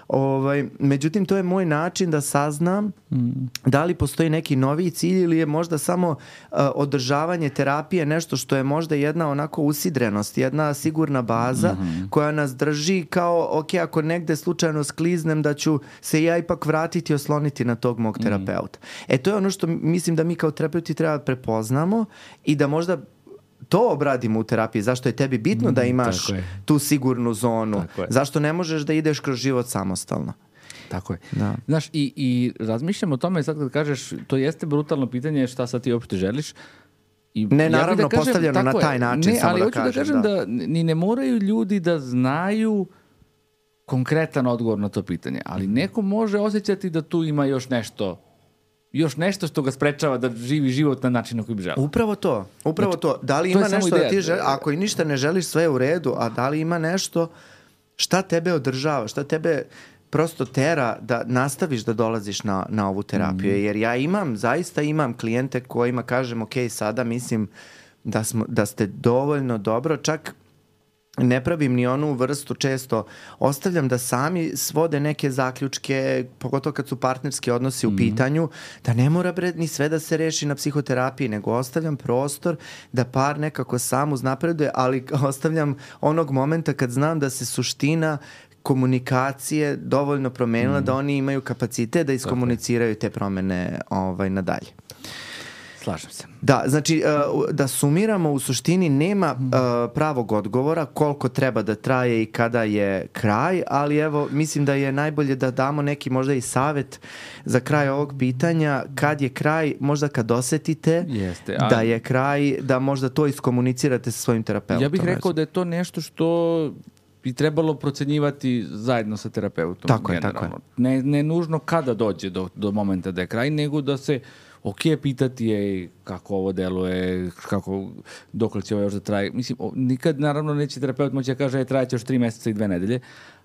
Ovaj, međutim, to je moj način da saznam mm. da li postoji neki novi cilj ili je možda samo uh, održavanje terapije nešto što je možda jedna onako usidrenost, jedna sigurna baza mm-hmm. koja nas drži kao, ok, ako negde slučajno skliznem da ću se ja ipak vratiti i osloniti na tog mog terapeuta. Mm. E, to je ono što mislim da mi kao terapeuti treba prepoznamo i da možda to obradimo u terapiji, zašto je tebi bitno da imaš tu sigurnu zonu, zašto ne možeš da ideš kroz život samostalno. Tako je. Da. Znaš, i, i razmišljam o tome sad kad kažeš, to jeste brutalno pitanje šta sad ti uopšte želiš. I ne, naravno, ja da kažem, postavljeno na taj način, ne, samo ali da hoću kažem. da kažem da, da ni ne moraju ljudi da znaju konkretan odgovor na to pitanje, ali neko može osjećati da tu ima još nešto još nešto što ga sprečava da živi život na način na koji bi želeo. Upravo to, upravo znači, to. Da li to ima nešto ideja. da ti želiš, ako i ništa ne želiš, sve je u redu, a da li ima nešto šta tebe održava, šta tebe prosto tera da nastaviš da dolaziš na, na ovu terapiju. Mm. Jer ja imam, zaista imam klijente kojima kažem, ok, sada mislim da, smo, da ste dovoljno dobro, čak ne pravim ni onu vrstu, često ostavljam da sami svode neke zaključke, pogotovo kad su partnerski odnosi u pitanju, da ne mora bre ni sve da se reši na psihoterapiji, nego ostavljam prostor da par nekako sam uznapreduje, ali ostavljam onog momenta kad znam da se suština komunikacije dovoljno promenila mm. da oni imaju kapacitet da iskomuniciraju te promene ovaj, nadalje. Slažem se. Da, znači uh, da sumiramo, u suštini nema uh, pravog odgovora koliko treba da traje i kada je kraj, ali evo mislim da je najbolje da damo neki možda i savjet za kraj ovog pitanja, kad je kraj, možda kad osetite Jeste, a... da je kraj, da možda to iskomunicirate sa svojim terapeutom. Ja bih rekao da je to nešto što bi trebalo procenjivati zajedno sa terapeutom. Tako je, tako je. Ne, ne nužno kada dođe do, do momenta da je kraj, nego da se ok, pitati je kako ovo deluje, kako, dok će ovo još da traje. Mislim, nikad naravno neće terapeut moći da kaže je trajeće još tri meseca i dve nedelje,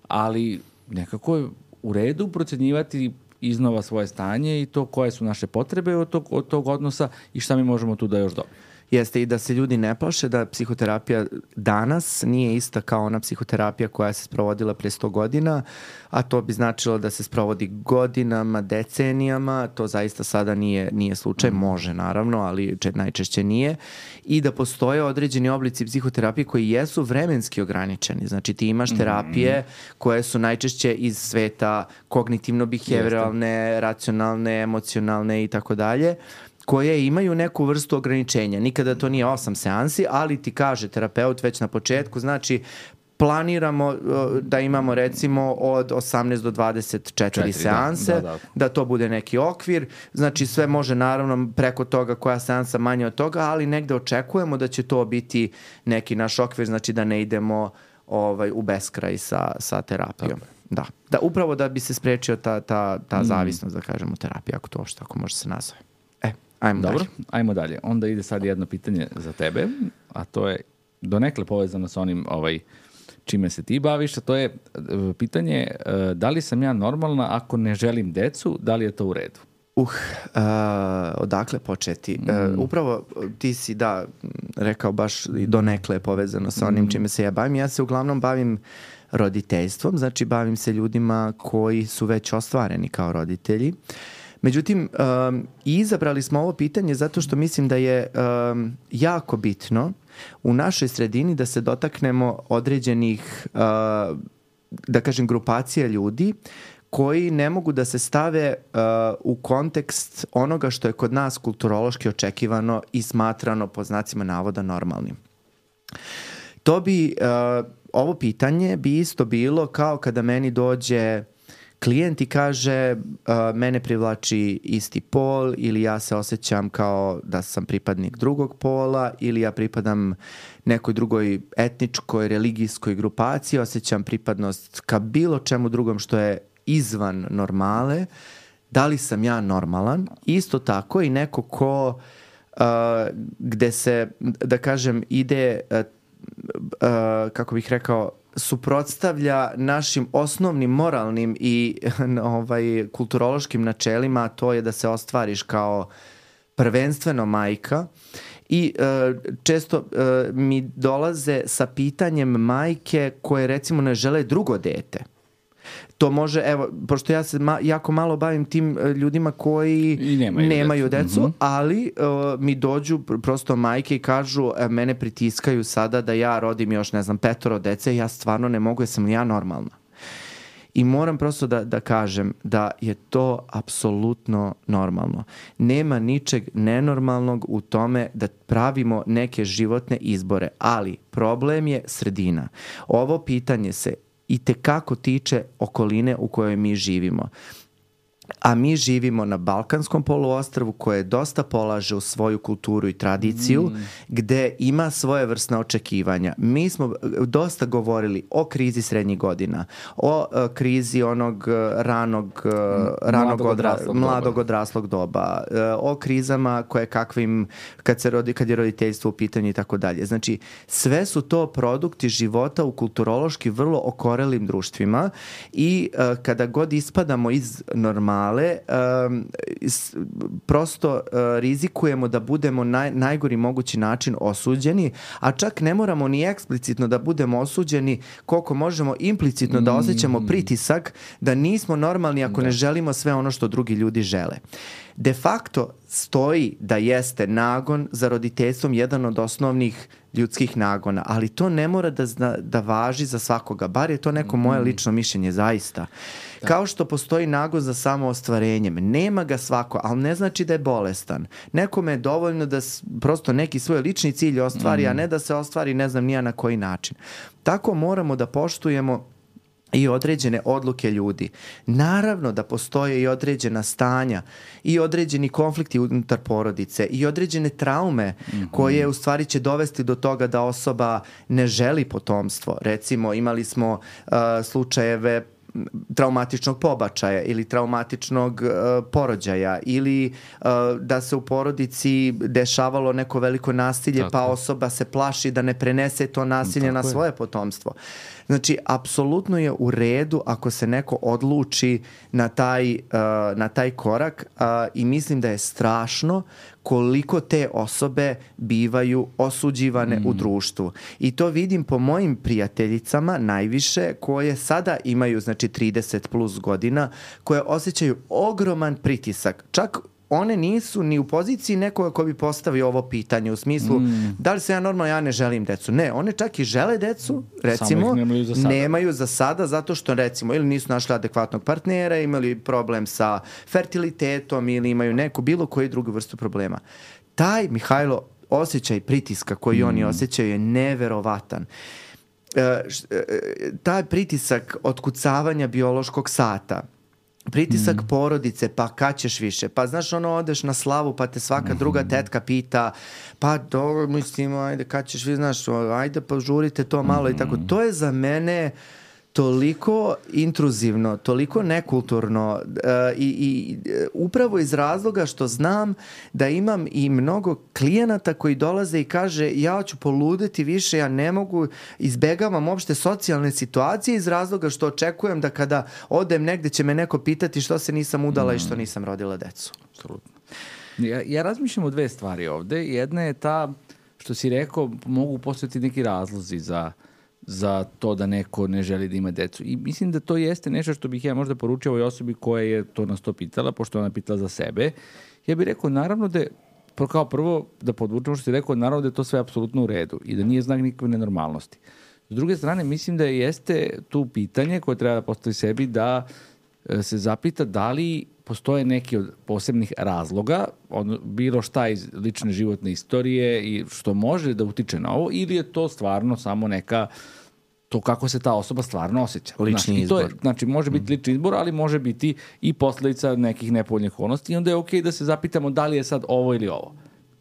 ali nekako je u redu procenjivati iznova svoje stanje i to koje su naše potrebe od tog, od tog odnosa i šta mi možemo tu da još dobijemo. Jeste i da se ljudi ne plaše da psihoterapija danas nije ista kao ona psihoterapija koja se sprovodila pre sto godina, a to bi značilo da se sprovodi godinama, decenijama, to zaista sada nije, nije slučaj, može naravno, ali najčešće nije, i da postoje određeni oblici psihoterapije koji jesu vremenski ograničeni, znači ti imaš terapije koje su najčešće iz sveta kognitivno-behavioralne, racionalne, emocionalne i tako dalje, koje imaju neku vrstu ograničenja. Nikada to nije osam seansi, ali ti kaže terapeut već na početku, znači planiramo da imamo recimo od osamnaest do dvadeset četiri seanse, da, da, da. da to bude neki okvir, znači sve može naravno preko toga koja seansa manje od toga, ali negde očekujemo da će to biti neki naš okvir, znači da ne idemo ovaj, u beskraj sa, sa terapijom. Da. da, upravo da bi se sprečio ta, ta, ta zavisnost, da kažemo, terapija, ako to što, ako može se nazove. Ajmo Dobro, dalje. ajmo dalje. Onda ide sad jedno pitanje za tebe, a to je donekle povezano sa onim ovaj, čime se ti baviš, a to je pitanje da li sam ja normalna ako ne želim decu, da li je to u redu? Uh, uh, odakle početi? Mm. Uh, upravo ti si, da, rekao baš i donekle je povezano sa onim mm. čime se ja bavim. Ja se uglavnom bavim roditeljstvom, znači bavim se ljudima koji su već ostvareni kao roditelji. Međutim, um, izabrali smo ovo pitanje zato što mislim da je um, jako bitno u našoj sredini da se dotaknemo određenih, uh, da kažem, grupacija ljudi koji ne mogu da se stave uh, u kontekst onoga što je kod nas kulturološki očekivano i smatrano po znacima navoda normalnim. To bi, uh, ovo pitanje bi isto bilo kao kada meni dođe klijent i kaže uh, mene privlači isti pol ili ja se osjećam kao da sam pripadnik drugog pola ili ja pripadam nekoj drugoj etničkoj, religijskoj grupaciji, osjećam pripadnost ka bilo čemu drugom što je izvan normale. Da li sam ja normalan? Isto tako i neko ko uh, gde se, da kažem, ide, uh, uh, kako bih rekao, suprotstavlja našim osnovnim moralnim i ovaj, kulturološkim načelima, a to je da se ostvariš kao prvenstveno majka. I uh, često uh, mi dolaze sa pitanjem majke koje recimo ne žele drugo dete. To može, evo, pošto ja se ma, jako malo bavim tim ljudima koji nemaju, nemaju decu, decu mm-hmm. ali uh, mi dođu prosto majke i kažu, e, mene pritiskaju sada da ja rodim još, ne znam, petoro dece, ja stvarno ne mogu, jesam li ja normalna? I moram prosto da, da kažem da je to apsolutno normalno. Nema ničeg nenormalnog u tome da pravimo neke životne izbore, ali problem je sredina. Ovo pitanje se i tekako tiče okoline u kojoj mi živimo. a mi živimo na Balkanskom poluostrvu koje dosta polaže u svoju kulturu i tradiciju, mm. gde ima svoje vrstne očekivanja. Mi smo dosta govorili o krizi srednjih godina, o uh, krizi onog uh, ranog, uh, ranog mladog, odra, odraslog mladog doba. odraslog doba, uh, o krizama koje kakvim, kad, se rodi, kad je roditeljstvo u pitanju i tako dalje. Znači, sve su to produkti života u kulturološki vrlo okorelim društvima i uh, kada god ispadamo iz normala male, um, s, prosto uh, rizikujemo da budemo na najgori mogući način osuđeni, a čak ne moramo ni eksplicitno da budemo osuđeni, koliko možemo implicitno da osjećamo pritisak da nismo normalni ako da. ne želimo sve ono što drugi ljudi žele. De facto stoji da jeste nagon za roditeljstvom jedan od osnovnih ljudskih nagona, ali to ne mora da, zna, da važi za svakoga, bar je to neko moje lično mišljenje zaista. Da. Kao što postoji nagon za samoostvarenjem, nema ga svako, ali ne znači da je bolestan. Nekome je dovoljno da prosto neki svoj lični cilj ostvari, mm. a ne da se ostvari ne znam nija na koji način. Tako moramo da poštujemo i određene odluke ljudi. Naravno da postoje i određena stanja i određeni konflikti unutar porodice i određene traume mm-hmm. koje u stvari će dovesti do toga da osoba ne želi potomstvo. Recimo imali smo uh, slučajeve traumatičnog pobačaja ili traumatičnog uh, porođaja ili uh, da se u porodici dešavalo neko veliko nasilje Tako. pa osoba se plaši da ne prenese to nasilje Tako na je. svoje potomstvo. Znači, apsolutno je u redu ako se neko odluči na taj, uh, na taj korak uh, i mislim da je strašno koliko te osobe bivaju osuđivane mm. u društvu. I to vidim po mojim prijateljicama najviše koje sada imaju znači trideset plus godina, koje osjećaju ogroman pritisak. Čak one nisu ni u poziciji nekoga ko bi postavio ovo pitanje u smislu mm. da li se ja normalno, ja ne želim decu. Ne, one čak i žele decu, recimo, nemaju za sada. nemaju za sada zato što recimo ili nisu našli adekvatnog partnera, imali problem sa fertilitetom ili imaju neku bilo koju drugu vrstu problema. Taj, Mihajlo, osjećaj pritiska koji mm. oni osjećaju je neverovatan. E, š, e, taj pritisak otkucavanja biološkog sata, pritisak mm. porodice, pa kad ćeš više, pa znaš ono odeš na slavu pa te svaka mm. druga tetka pita, pa dobro mislim ajde kad ćeš vi znaš, ajde požurite to malo mm. i tako, to je za mene toliko intruzivno, toliko nekulturno uh, i, i upravo iz razloga što znam da imam i mnogo klijenata koji dolaze i kaže ja ću poludeti više, ja ne mogu, izbegavam uopšte socijalne situacije iz razloga što očekujem da kada odem negde će me neko pitati što se nisam udala mm. i što nisam rodila decu. Apsolutno. Ja, ja razmišljam o dve stvari ovde. Jedna je ta što si rekao, mogu postojati neki razlozi za za to da neko ne želi da ima decu. I mislim da to jeste nešto što bih ja možda poručio ovoj osobi koja je to nas to pitala, pošto ona pitala za sebe. Ja bih rekao, naravno da je, kao prvo da podvučemo što si rekao, naravno da je to sve apsolutno u redu i da nije znak nikakve nenormalnosti. S druge strane, mislim da jeste tu pitanje koje treba da postavi sebi da se zapita da li postoje neki od posebnih razloga, on, bilo šta iz lične životne istorije i što može da utiče na ovo, ili je to stvarno samo neka, to kako se ta osoba stvarno osjeća. Lični znači, izbor. To je, znači, može biti lični izbor, ali može biti i posledica nekih nepovoljnih okolnosti i onda je okej da se zapitamo da li je sad ovo ili ovo.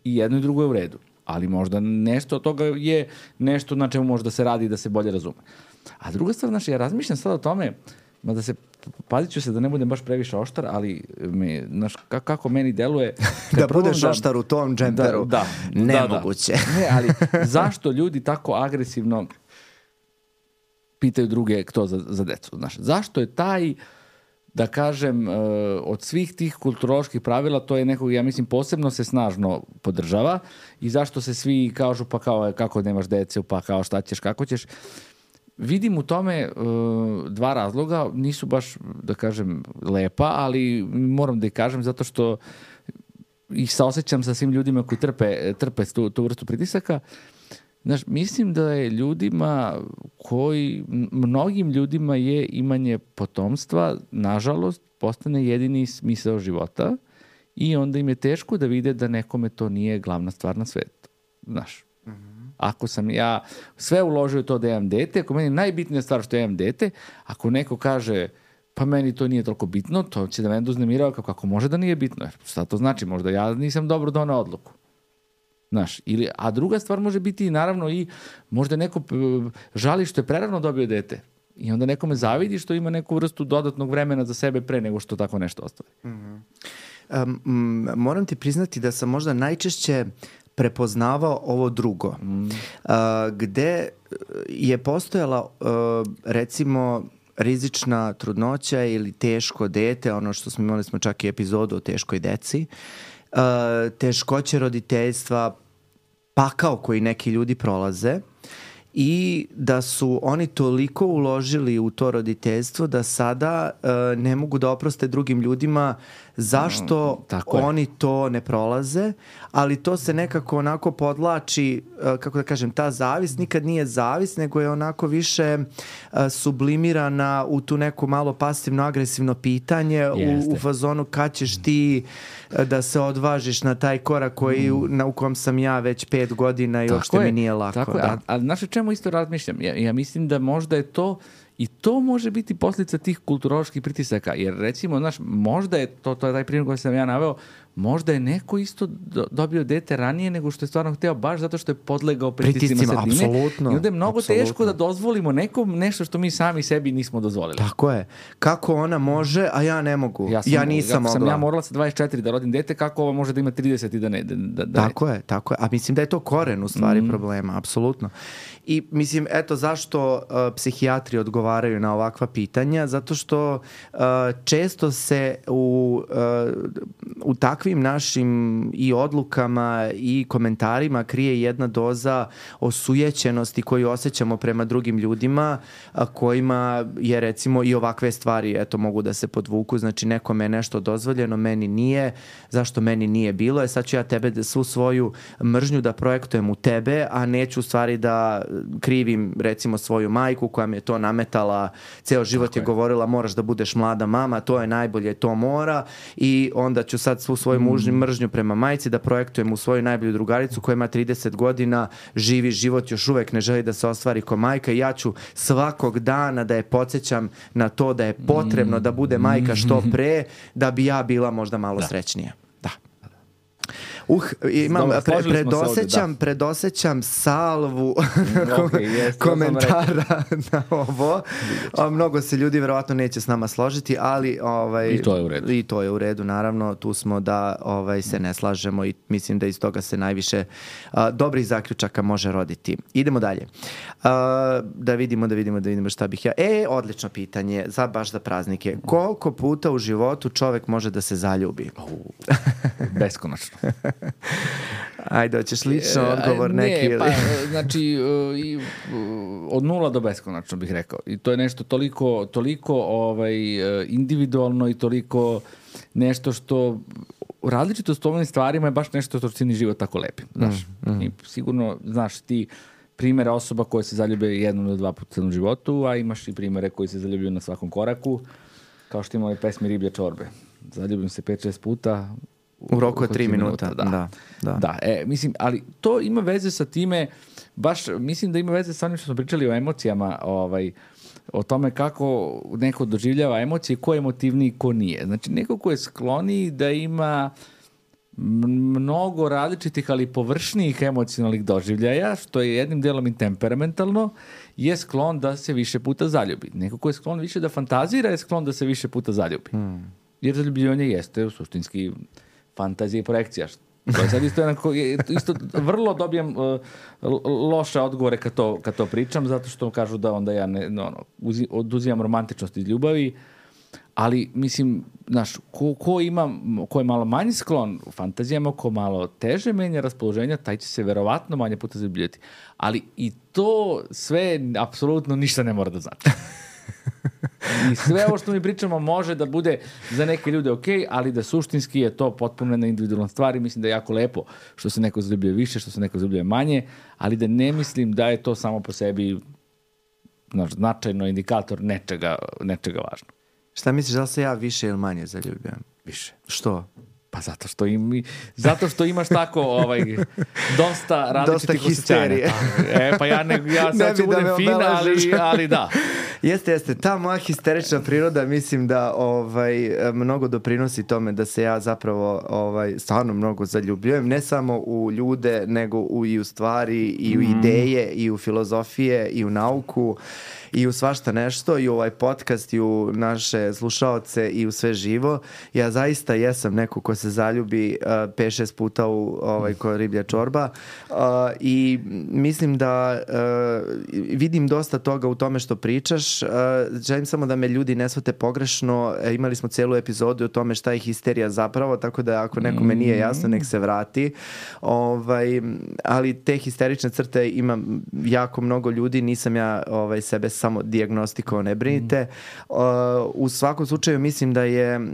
I jedno i drugo je u redu. Ali možda nešto od toga je nešto na čemu može da se radi i da se bolje razume. A druga stvar, znači, ja razmišljam sad o tome, da se, pazit ću se da ne budem baš previše oštar, ali me, znaš, kako meni deluje... da budeš da, oštar u tom džemperu, da, da, nemoguće. Da, da. Ne, ali zašto ljudi tako agresivno pitaju druge kto za, za decu? Znaš, zašto je taj, da kažem, od svih tih kulturoloških pravila, to je nekog, ja mislim, posebno se snažno podržava i zašto se svi kažu pa kao kako nemaš dece, pa kao šta ćeš, kako ćeš... Vidim u tome uh, dva razloga, nisu baš, da kažem, lepa, ali moram da ih kažem zato što ih saosećam sa svim ljudima koji trpe, trpe tu, tu vrstu pritisaka. Znaš, mislim da je ljudima koji, mnogim ljudima je imanje potomstva, nažalost, postane jedini smisao života i onda im je teško da vide da nekome to nije glavna stvar na svetu. Znaš, ako sam ja sve uložio to da imam dete, ako meni je najbitnija stvar što ja imam dete, ako neko kaže pa meni to nije toliko bitno, to će da mene uznemirava kako, kako može da nije bitno. Šta to znači? Možda ja nisam dobro donao odluku. Znaš, ili, a druga stvar može biti naravno i možda neko žali što je prerano dobio dete. I onda nekome zavidi što ima neku vrstu dodatnog vremena za sebe pre nego što tako nešto ostvari. Mm-hmm. Um, moram ti priznati da sam možda najčešće prepoznavao ovo drugo. Mm. Uh, gde je postojala uh, recimo rizična trudnoća ili teško dete, ono što smo imali smo čak i epizodu o teškoj deci, uh, teškoće roditeljstva, pakao koji neki ljudi prolaze i da su oni toliko uložili u to roditeljstvo da sada uh, ne mogu da oproste drugim ljudima zašto mm, oni to ne prolaze, ali to se nekako onako podlači, uh, kako da kažem, ta zavis nikad nije zavis, nego je onako više uh, sublimirana u tu neku malo pasivno-agresivno pitanje u, u fazonu kad ćeš ti uh, da se odvažiš na taj korak koji, mm. na, u kom sam ja već pet godina i uopšte mi nije lako. Tako da. je, ali znaš o čemu isto razmišljam? Ja, ja mislim da možda je to i to može biti posljedica tih kulturoloških pritisaka, jer recimo, znaš, možda je to, to je taj primjer koji sam ja naveo, možda je neko isto do, dobio dete ranije nego što je stvarno hteo, baš zato što je podlegao pritiscima sredine. Apsolutno. I onda je mnogo apsolutno. teško da dozvolimo nekom nešto što mi sami sebi nismo dozvolili. Tako je. Kako ona može, a ja ne mogu. Ja, sam, ja nisam mogla. Sam ja morala sa dvadeset četiri da rodim dete, kako ova može da ima trideset i da ne? Da, da tako ne. je, tako je. A mislim da je to koren u stvari mm. problema, apsolutno. I mislim, eto zašto uh, psihijatri odgovaraju na ovakva pitanja, zato što uh, često se u, uh, u takvim našim i odlukama i komentarima krije jedna doza osujećenosti koju osjećamo prema drugim ljudima, a kojima je recimo i ovakve stvari eto mogu da se podvuku, znači nekome je nešto dozvoljeno, meni nije, zašto meni nije bilo, je sad ću ja tebe da svu svoju mržnju da projektujem u tebe, a neću u stvari da krivim recimo svoju majku koja mi je to nametala, ceo život Tako je govorila moraš da budeš mlada mama, to je najbolje, to mora, i onda ću sad svu svoju mužnju, mržnju prema majci da projektujem u svoju najbolju drugaricu koja ima trideset godina, živi život, još uvek ne želi da se ostvari ko majka, i ja ću svakog dana da je podsjećam na to da je potrebno da bude majka što pre, da bi ja bila možda malo da. srećnija. Da. Uh, imam, pre, predosećam, ovdje, predosećam salvu okay, yes, komentara na ovo. O, mnogo se ljudi verovatno neće s nama složiti, ali ovaj, i to je u redu. I to je u redu, naravno. Tu smo da ovaj, se ne slažemo i mislim da iz toga se najviše a, dobrih zaključaka može roditi. Idemo dalje. A, da vidimo, da vidimo, da vidimo šta bih ja... E, odlično pitanje, za baš za praznike. Koliko puta u životu čovek može da se zaljubi? Uh, beskonačno. Ajde, hoćeš lično odgovor ne, neki? Ili? Pa, znači, uh, od nula do beskonačno bih rekao. I to je nešto toliko, toliko ovaj, individualno i toliko nešto što različitost u ovim stvarima je baš nešto što čini život tako lepim. Znaš? Mm, mm. I sigurno, znaš, ti primjere osoba koje se zaljube jednom do dva puta u životu, a imaš i primjere koji se zaljubljuju na svakom koraku, kao što ima ove pesmi Riblje čorbe. Zaljubim se pet šest puta u roku od tri minuta. Da, da, da. da e, mislim, ali to ima veze sa time, baš mislim da ima veze sa onim što smo pričali o emocijama, ovaj, o tome kako neko doživljava emocije, ko je emotivniji, ko nije. Znači, neko ko je skloniji da ima mnogo različitih, ali površnijih emocionalnih doživljaja, što je jednim delom i temperamentalno, je sklon da se više puta zaljubi. Neko ko je sklon više da fantazira je sklon da se više puta zaljubi. Hmm. Jer zaljubljivanje jeste suštinski fantazija i projekcija. To je sad isto, jednako, isto vrlo dobijem uh, loše odgovore kad to, kad to pričam, zato što kažu da onda ja ne, no, no, uzi, oduzimam romantičnost iz ljubavi, ali mislim, znaš, ko, ko, ima, ko je malo manji sklon u fantazijama, ko malo teže menja raspoloženja, taj će se verovatno manje puta zaljubljivati. Ali i to sve apsolutno ništa ne mora da znači. I sve ovo što mi pričamo može da bude za neke ljude ok, ali da suštinski je to potpuno jedna individualna stvar i mislim da je jako lepo što se neko zaljubljuje više, što se neko zaljubljuje manje, ali da ne mislim da je to samo po sebi znaš, značajno indikator nečega, nečega važno. Šta misliš, da li se ja više ili manje zaljubljujem? Više. Što? Pa zato što, im, zato što imaš tako ovaj, dosta različitih osjećanja. E, pa ja, ne, ja sad ću budem fina, ali, ali da. Jeste, jeste. Ta moja histerična priroda mislim da ovaj, mnogo doprinosi tome da se ja zapravo ovaj, stvarno mnogo zaljubljujem. Ne samo u ljude, nego u, i u stvari, i u mm. ideje, i u filozofije, i u nauku, i u svašta nešto, i u ovaj podcast, i u naše slušaoce, i u sve živo. Ja zaista jesam neko ko se zaljubi uh, pet šest puta u ovaj, ko riblja čorba uh, i mislim da uh, vidim dosta toga u tome što pričaš. Uh, želim samo da me ljudi ne shvate pogrešno. E, imali smo celu epizodu o tome šta je histerija zapravo, tako da ako nekome nije jasno, nek se vrati. Ovaj, ali te histerične crte ima jako mnogo ljudi, nisam ja ovaj, sebe samo dijagnostikovao, ne brinite. Uh, u svakom slučaju mislim da je uh,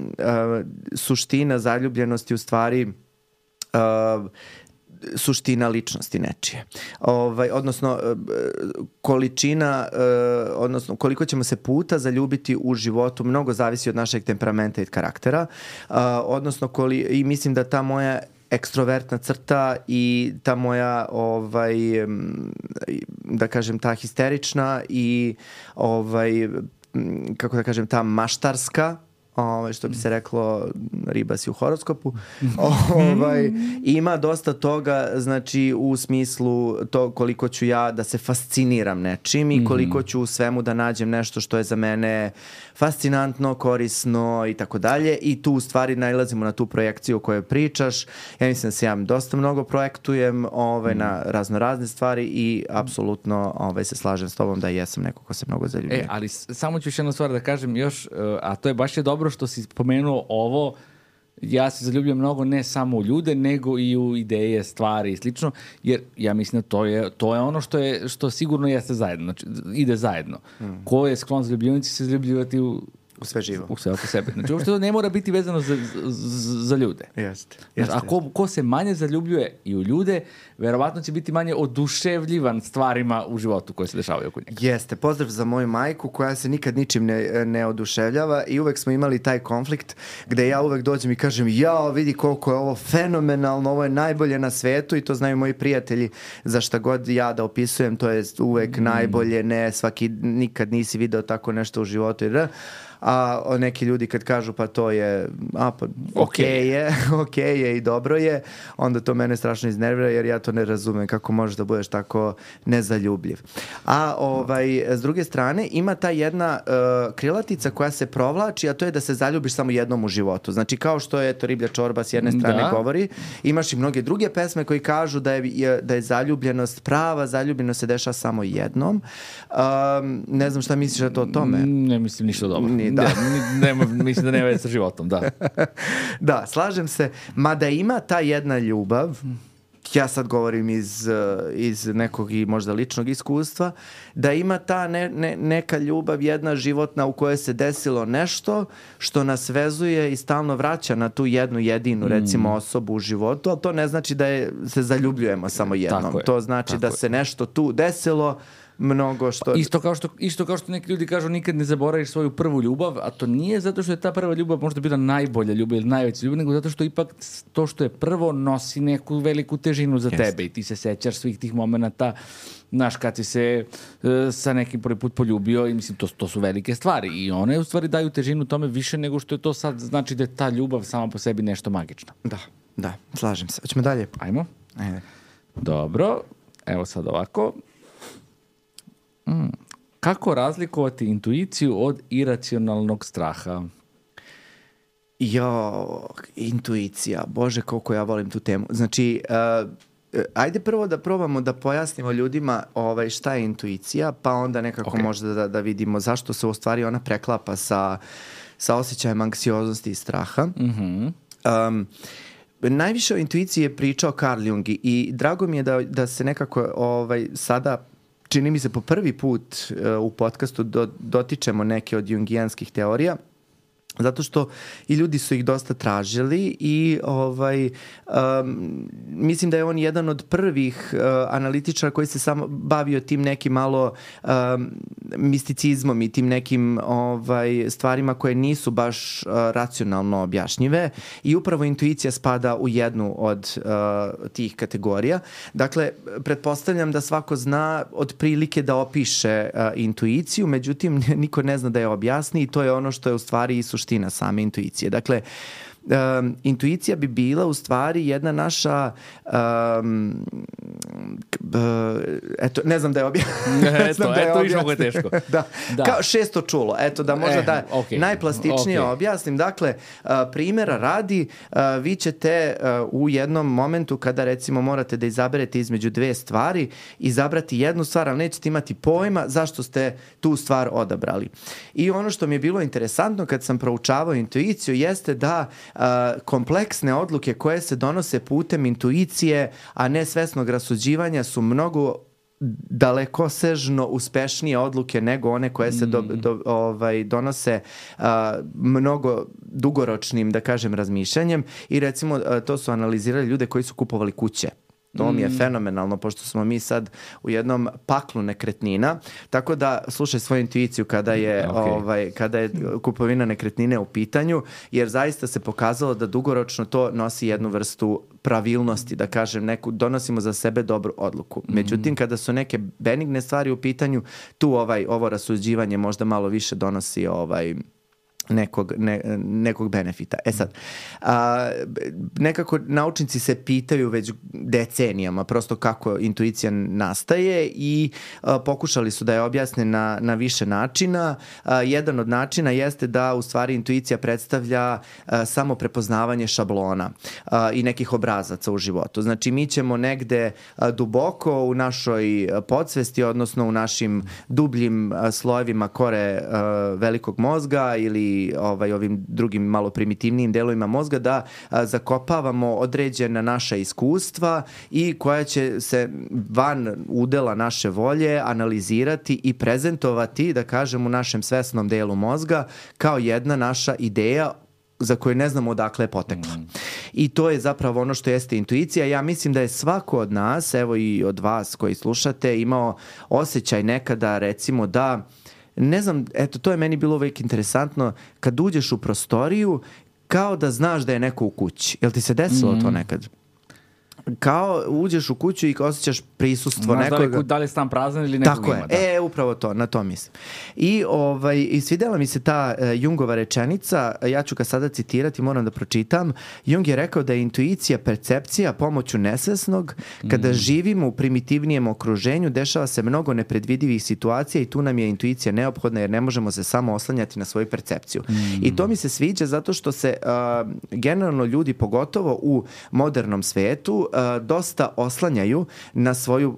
suština zaljubljenosti u stvari uh, suština ličnosti nečije. Ovaj, odnosno, količina, odnosno koliko ćemo se puta zaljubiti u životu mnogo zavisi od našeg temperamenta i karaktera. Odnosno, koli, i mislim da ta moja ekstrovertna crta i ta moja ovaj, da kažem ta histerična i ovaj, kako da kažem ta maštarska, Ovaj, što bi se reklo riba si u horoskopu, ovaj, ima dosta toga, znači u smislu to koliko ću ja da se fasciniram nečim i koliko ću u svemu da nađem nešto što je za mene fascinantno, korisno i tako dalje, i tu u stvari nailazimo na tu projekciju o kojoj pričaš. Ja mislim da se ja dosta mnogo projektujem ovaj, na razno razne stvari i apsolutno ovaj, se slažem s tobom da jesam neko ko se mnogo zaljubio. E, ali samo ću još jednu stvar da kažem još, a to je baš je dobro što si spomenuo ovo, ja se zaljubljujem mnogo ne samo u ljude, nego i u ideje, stvari i slično, jer ja mislim da to je, to je ono što je, što sigurno jeste zajedno, znači ide zajedno. Mm. Ko je sklon zaljubljivanici se zaljubljivati u u sve živo. U sve oko sebe. Znači, uopšte to ne mora biti vezano za, za, za ljude. Jeste. Znači, a ko, ko se manje zaljubljuje i u ljude, verovatno će biti manje oduševljivan stvarima u životu koje se dešavaju oko njega. Jeste. Pozdrav za moju majku koja se nikad ničim ne, ne oduševljava i uvek smo imali taj konflikt gde ja uvek dođem i kažem jao, vidi koliko je ovo fenomenalno, ovo je najbolje na svetu i to znaju moji prijatelji za šta god ja da opisujem, to je uvek mm. najbolje, ne, svaki, nikad nisi video tako nešto u životu. Jer, a neki ljudi kad kažu pa to je a pa okej okay je, okej okay je i dobro je, onda to mene strašno iznervira jer ja to ne razumem kako možeš da budeš tako nezaljubljiv. A ovaj, s druge strane ima ta jedna uh, krilatica koja se provlači, a to je da se zaljubiš samo jednom u životu. Znači kao što je to riblja čorba s jedne strane da. govori, imaš i mnoge druge pesme koji kažu da je, da je zaljubljenost, prava zaljubljenost se dešava samo jednom. Um, ne znam šta misliš da to o tome? Ne mislim ništa dobro. Ni, da. Ne, ne, mislim da nema veze sa životom, da. Da, slažem se. Mada ima ta jedna ljubav, ja sad govorim iz, iz nekog i možda ličnog iskustva, da ima ta ne, ne, neka ljubav jedna životna u kojoj se desilo nešto što nas vezuje i stalno vraća na tu jednu jedinu, recimo, mm. osobu u životu, ali to ne znači da je, se zaljubljujemo samo jednom. To znači da je. se nešto tu desilo, mnogo što... Isto kao što, isto kao što neki ljudi kažu nikad ne zaboraviš svoju prvu ljubav, a to nije zato što je ta prva ljubav možda bila najbolja ljubav ili najveća ljubav, nego zato što ipak to što je prvo nosi neku veliku težinu za yes. tebe i ti se sećaš svih tih momenata, znaš, kad si se uh, sa nekim prvi put poljubio i mislim, to, to su velike stvari i one u stvari daju težinu tome više nego što je to sad znači da je ta ljubav sama po sebi nešto magično. Da, da, slažem se. Hoćemo dalje? Ajmo. Ajde. Dobro, evo sad ovako. Mm. Kako razlikovati intuiciju od iracionalnog straha? Jo, intuicija. Bože, koliko ja volim tu temu. Znači, uh, ajde prvo da probamo da pojasnimo ljudima ovaj, šta je intuicija, pa onda nekako okay. možda da, da vidimo zašto se u stvari ona preklapa sa, sa osjećajem anksioznosti i straha. Mm-hmm. Um, najviše o intuiciji je pričao Carl Jung i drago mi je da, da se nekako ovaj, sada čini mi se po prvi put uh, u podcastu do, dotičemo neke od jungijanskih teorija. Zato što i ljudi su ih dosta tražili i ovaj, um, mislim da je on jedan od prvih uh, analitičara koji se samo bavio tim nekim malo um, misticizmom i tim nekim ovaj, stvarima koje nisu baš uh, racionalno objašnjive i upravo intuicija spada u jednu od uh, tih kategorija. Dakle, pretpostavljam da svako zna otprilike da opiše uh, intuiciju, međutim niko ne zna da je objasni i to je ono što je u stvari i suština same intuicije. Dakle, um, intuicija bi bila u stvari jedna naša um, uh, eto, ne znam da je objasnila. eto, eto, viš mogo je teško. da. da. Kao šesto čulo. Eto, da možda e, da okay. najplastičnije okay. objasnim. Dakle, uh, primjera radi, uh, vi ćete uh, u jednom momentu kada recimo morate da izaberete između dve stvari, izabrati jednu stvar, ali nećete imati pojma zašto ste tu stvar odabrali. I ono što mi je bilo interesantno kad sam proučavao intuiciju jeste da uh, kompleksne odluke koje se donose putem intuicije, a ne svesnog rasuđivanja su mnogo dalekosežno uspešnije odluke nego one koje se do, do, ovaj, donose uh, mnogo dugoročnim, da kažem, razmišljanjem i recimo uh, to su analizirali ljude koji su kupovali kuće. To mi je fenomenalno, pošto smo mi sad u jednom paklu nekretnina, tako da slušaj svoju intuiciju kada je, okay. ovaj, kada je kupovina nekretnine u pitanju, jer zaista se pokazalo da dugoročno to nosi jednu vrstu pravilnosti, da kažem, neku, donosimo za sebe dobru odluku. Međutim, kada su neke benigne stvari u pitanju, tu ovaj, ovo rasuđivanje možda malo više donosi ovaj... Nekog, ne, nekog benefita. E sad, a, nekako naučnici se pitaju već decenijama prosto kako intuicija nastaje i a, pokušali su da je objasne na, na više načina. A, jedan od načina jeste da u stvari intuicija predstavlja a, samo prepoznavanje šablona a, i nekih obrazaca u životu. Znači mi ćemo negde a, duboko u našoj podsvesti, odnosno u našim dubljim a, slojevima kore a, velikog mozga ili ovaj, ovim drugim malo primitivnijim delovima mozga da a, zakopavamo određena naša iskustva i koja će se van udela naše volje analizirati i prezentovati, da kažem, u našem svesnom delu mozga kao jedna naša ideja za koju ne znamo odakle je potekla. Mm. I to je zapravo ono što jeste intuicija. Ja mislim da je svako od nas, evo i od vas koji slušate, imao osjećaj nekada recimo da ne znam, eto, to je meni bilo uvijek interesantno, kad uđeš u prostoriju, kao da znaš da je neko u kući. Jel ti se desilo mm-hmm. to nekad? Kao uđeš u kuću i osjećaš prisustvo nekoga. Znaš da li, da li je stan prazan ili nekog Tako ima. je, Da. e, upravo to, na to mislim. I, ovaj, i svidjela mi se ta uh, Jungova rečenica, ja ću ga sada citirati, moram da pročitam. Jung je rekao da je intuicija percepcija pomoću nesvesnog. Kada mm. živimo u primitivnijem okruženju, dešava se mnogo nepredvidivih situacija i tu nam je intuicija neophodna jer ne možemo se samo oslanjati na svoju percepciju. Mm. I to mi se sviđa zato što se uh, generalno ljudi, pogotovo u modernom svetu, Uh, dosta oslanjaju na svoju uh,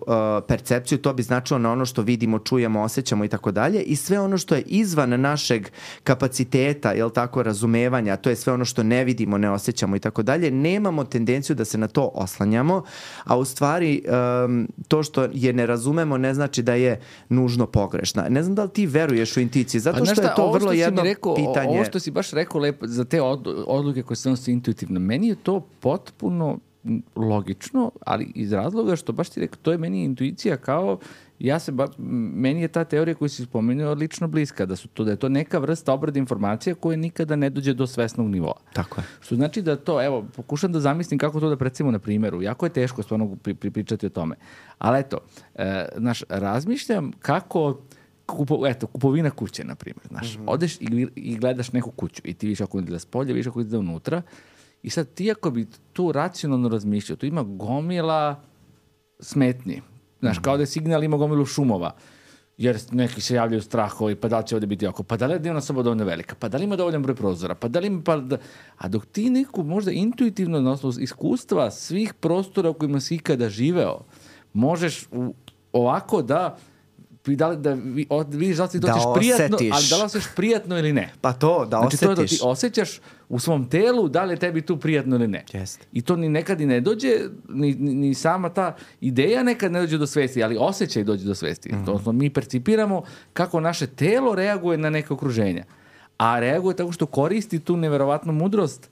percepciju, to bi značilo na ono što vidimo, čujemo, osjećamo i tako dalje i sve ono što je izvan našeg kapaciteta, jel tako, razumevanja, to je sve ono što ne vidimo, ne osjećamo i tako dalje, nemamo tendenciju da se na to oslanjamo, a u stvari um, to što je ne razumemo ne znači da je nužno pogrešna. Ne znam da li ti veruješ u intuiciju, zato što šta, je to vrlo jedno rekao, pitanje. Ovo što si baš rekao lepo za te odluke koje se donose intuitivno, meni je to potpuno logično, ali iz razloga što baš ti rekao, to je meni intuicija kao, ja se ba, meni je ta teorija koju si spomenuo lično bliska, da su to da je to neka vrsta obrade informacija koja nikada ne dođe do svesnog nivoa. Tako je. Što znači da to, evo, pokušam da zamislim kako to da predstavimo na primjeru. Jako je teško stvarno pri, pri, pričati o tome. Ali eto, e, znaš, razmišljam kako Kupo, eto, kupovina kuće, na primjer. Znaš, mm-hmm. odeš i, i gledaš neku kuću i ti viš ako izgleda s polja, viš ako izgleda unutra. I sad ti ako bi tu racionalno razmišljao, tu ima gomila smetnji. Znaš, kao da je signal ima gomilu šumova. Jer neki se javljaju strahovi, pa da li će ovdje biti oko, pa da li je dnevna soba dovoljno velika, pa da li ima dovoljan broj prozora, pa da li ima pa da... A dok ti neku možda intuitivno, na osnovu iskustva svih prostora u kojima si ikada živeo, možeš u, ovako da... Da li, da vidiš da li to ćeš prijatno, ali da li osjećaš prijatno ili ne. Pa to, da znači, osjetiš. To je da ti osjećaš u svom telu da li je tebi tu prijatno ili ne. Yes. I to ni nekad i ne dođe, ni, ni, ni sama ta ideja nekad ne dođe do svesti, ali osjećaj dođe do svesti. Mm-hmm. To mi percipiramo kako naše telo reaguje na neke okruženja. a reaguje tako što koristi tu neverovatnu mudrost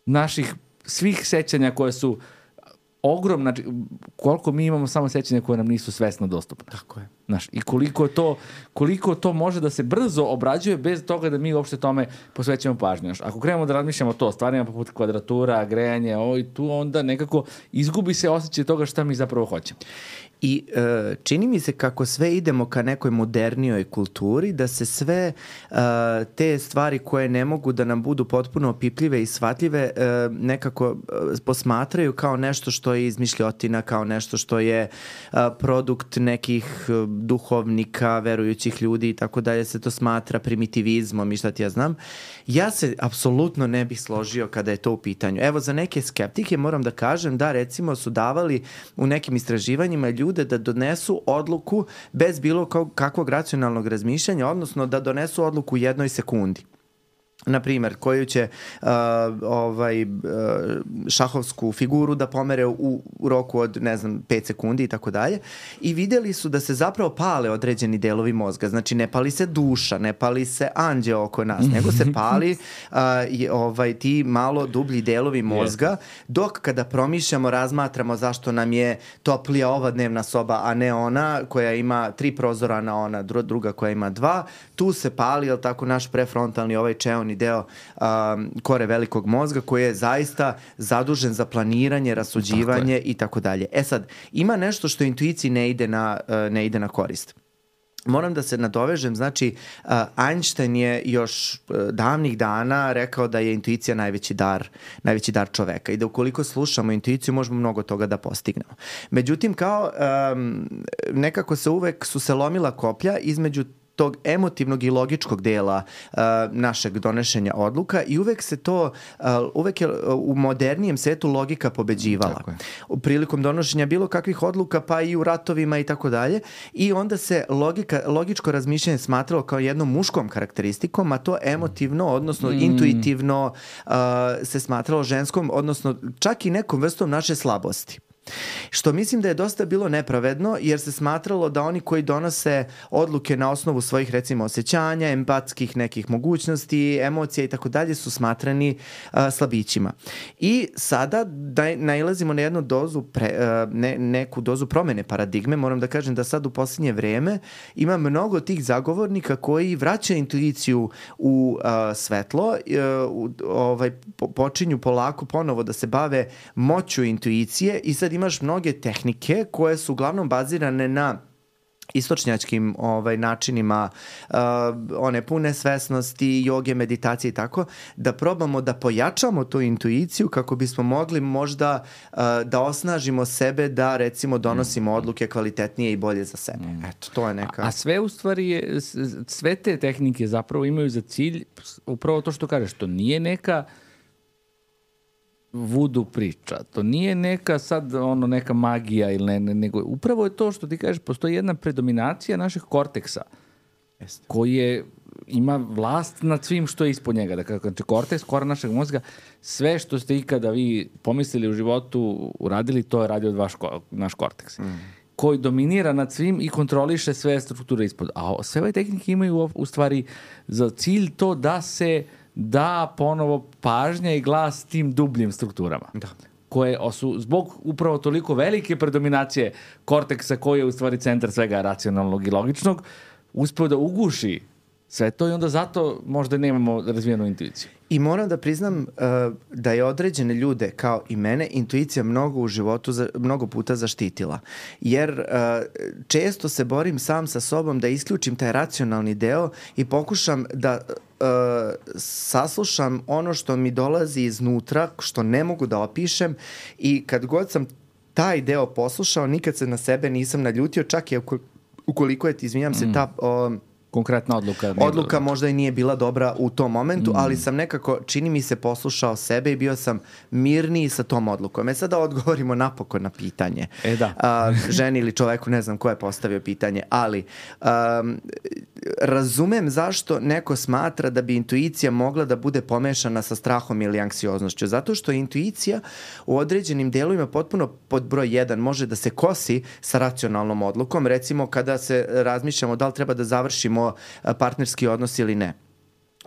naših svih sećanja koje su ogromna, znači, koliko mi imamo samo sećanja koje nam nisu svesno dostupne. Tako je. Znaš, i koliko to, koliko to može da se brzo obrađuje bez toga da mi uopšte tome posvećamo pažnju. Znaš, ako krenemo da razmišljamo to, stvarima poput kvadratura, grejanje, ovo i tu, onda nekako izgubi se osjećaj toga šta mi zapravo hoćemo. I e, čini mi se kako sve idemo ka nekoj modernijoj kulturi, da se sve e, te stvari koje ne mogu da nam budu potpuno opipljive i shvatljive e, nekako e, posmatraju kao nešto što je izmišljotina, kao nešto što je e, produkt nekih e, duhovnika, verujućih ljudi i tako dalje, se to smatra primitivizmom i šta ti ja znam. Ja se apsolutno ne bih složio kada je to u pitanju. Evo, za neke skeptike moram da kažem da recimo su davali u nekim istraživanjima ljudi da donesu odluku bez bilo kakvog racionalnog razmišljanja, odnosno da donesu odluku u jednoj sekundi. Na primjer, koju će uh, ovaj, uh, šahovsku figuru da pomere u, u roku od, ne znam, pet sekundi i tako dalje. I vidjeli su da se zapravo pale određeni delovi mozga. Znači, ne pali se duša, ne pali se anđeo oko nas, nego se pali uh, i, ovaj, ti malo dublji delovi mozga, dok kada promišljamo, razmatramo zašto nam je toplija ova dnevna soba, a ne ona koja ima tri prozora, na ona druga koja ima dva, tu se pali, jel tako, naš prefrontalni ovaj čeoni deo um, kore velikog mozga koji je zaista zadužen za planiranje, rasuđivanje i tako dalje. E sad, ima nešto što intuiciji ne ide na, uh, ne ide na korist. Moram da se nadovežem, znači uh, Einstein je još uh, davnih dana rekao da je intuicija najveći dar, najveći dar čoveka i da ukoliko slušamo intuiciju možemo mnogo toga da postignemo. Međutim, kao um, nekako se uvek su se lomila koplja između tog emotivnog i logičkog dela uh, našeg donošenja odluka i uvek se to, uh, uvek je u modernijem svetu logika pobeđivala. U prilikom donošenja bilo kakvih odluka, pa i u ratovima i tako dalje. I onda se logika, logičko razmišljanje smatralo kao jednom muškom karakteristikom, a to emotivno, odnosno mm. intuitivno uh, se smatralo ženskom, odnosno čak i nekom vrstom naše slabosti. Što mislim da je dosta bilo nepravedno, jer se smatralo da oni koji donose odluke na osnovu svojih, recimo, osjećanja, empatskih nekih mogućnosti, emocija i tako dalje su smatrani uh, slabićima. I sada da nailazimo na jednu dozu, pre, uh, ne, neku dozu promene paradigme. Moram da kažem da sad u posljednje vrijeme ima mnogo tih zagovornika koji vraćaju intuiciju u uh, svetlo, uh, ovaj, po, počinju polako ponovo da se bave moću intuicije i sad imaš mnoge tehnike koje su uglavnom bazirane na istočnjačkim ovaj, načinima uh, one pune svesnosti, joge, meditacije i tako, da probamo da pojačamo tu intuiciju kako bismo mogli možda uh, da osnažimo sebe da recimo donosimo odluke kvalitetnije i bolje za sebe. Eto, to je neka... A, a sve u stvari je, sve te tehnike zapravo imaju za cilj upravo to što kažeš, to nije neka vudu priča. To nije neka sad ono neka magija ili ne, ne, nego upravo je to što ti kažeš, postoji jedna predominacija našeg korteksa Jeste. koji je, ima vlast nad svim što je ispod njega. Dakle, znači korteks, kora našeg mozga, sve što ste ikada vi pomislili u životu, uradili, to je radio od vaš, naš korteks. Mm. koji dominira nad svim i kontroliše sve strukture ispod. A sve ove tehnike imaju u, u stvari za cilj to da se da ponovo pažnja i glas tim dubljim strukturama. Da. Koje su zbog upravo toliko velike predominacije korteksa koji je u stvari centar svega racionalnog i logičnog, uspeo da uguši sve to i onda zato možda nemamo razvijenu intuiciju. I moram da priznam uh, da je određene ljude, kao i mene, intuicija mnogo u životu, za, mnogo puta zaštitila. Jer uh, često se borim sam sa sobom da isključim taj racionalni deo i pokušam da uh, saslušam ono što mi dolazi iznutra, što ne mogu da opišem, i kad god sam taj deo poslušao, nikad se na sebe nisam naljutio, čak i ukoliko je, izvinjam se, ta... Uh, konkretna odluka. Odluka možda i nije bila dobra u tom momentu, mm. ali sam nekako, čini mi se, poslušao sebe i bio sam mirniji sa tom odlukom. E sada odgovorimo napokon na pitanje. E da. A, ženi ili čoveku, ne znam ko je postavio pitanje, ali um, razumem zašto neko smatra da bi intuicija mogla da bude pomešana sa strahom ili anksioznošću. Zato što intuicija u određenim delovima potpuno pod broj jedan može da se kosi sa racionalnom odlukom. Recimo kada se razmišljamo da li treba da završimo partnerski odnos ili ne.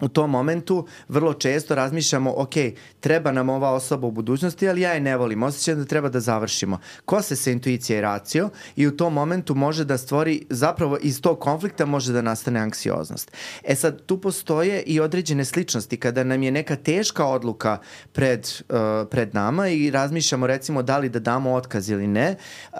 u tom momentu vrlo često razmišljamo, ok, treba nam ova osoba u budućnosti, ali ja je ne volim, osjećam da treba da završimo. Kose se intuicija i racio i u tom momentu može da stvori, zapravo iz tog konflikta može da nastane anksioznost. E sad, tu postoje i određene sličnosti. Kada nam je neka teška odluka pred, uh, pred nama i razmišljamo recimo da li da damo otkaz ili ne, uh,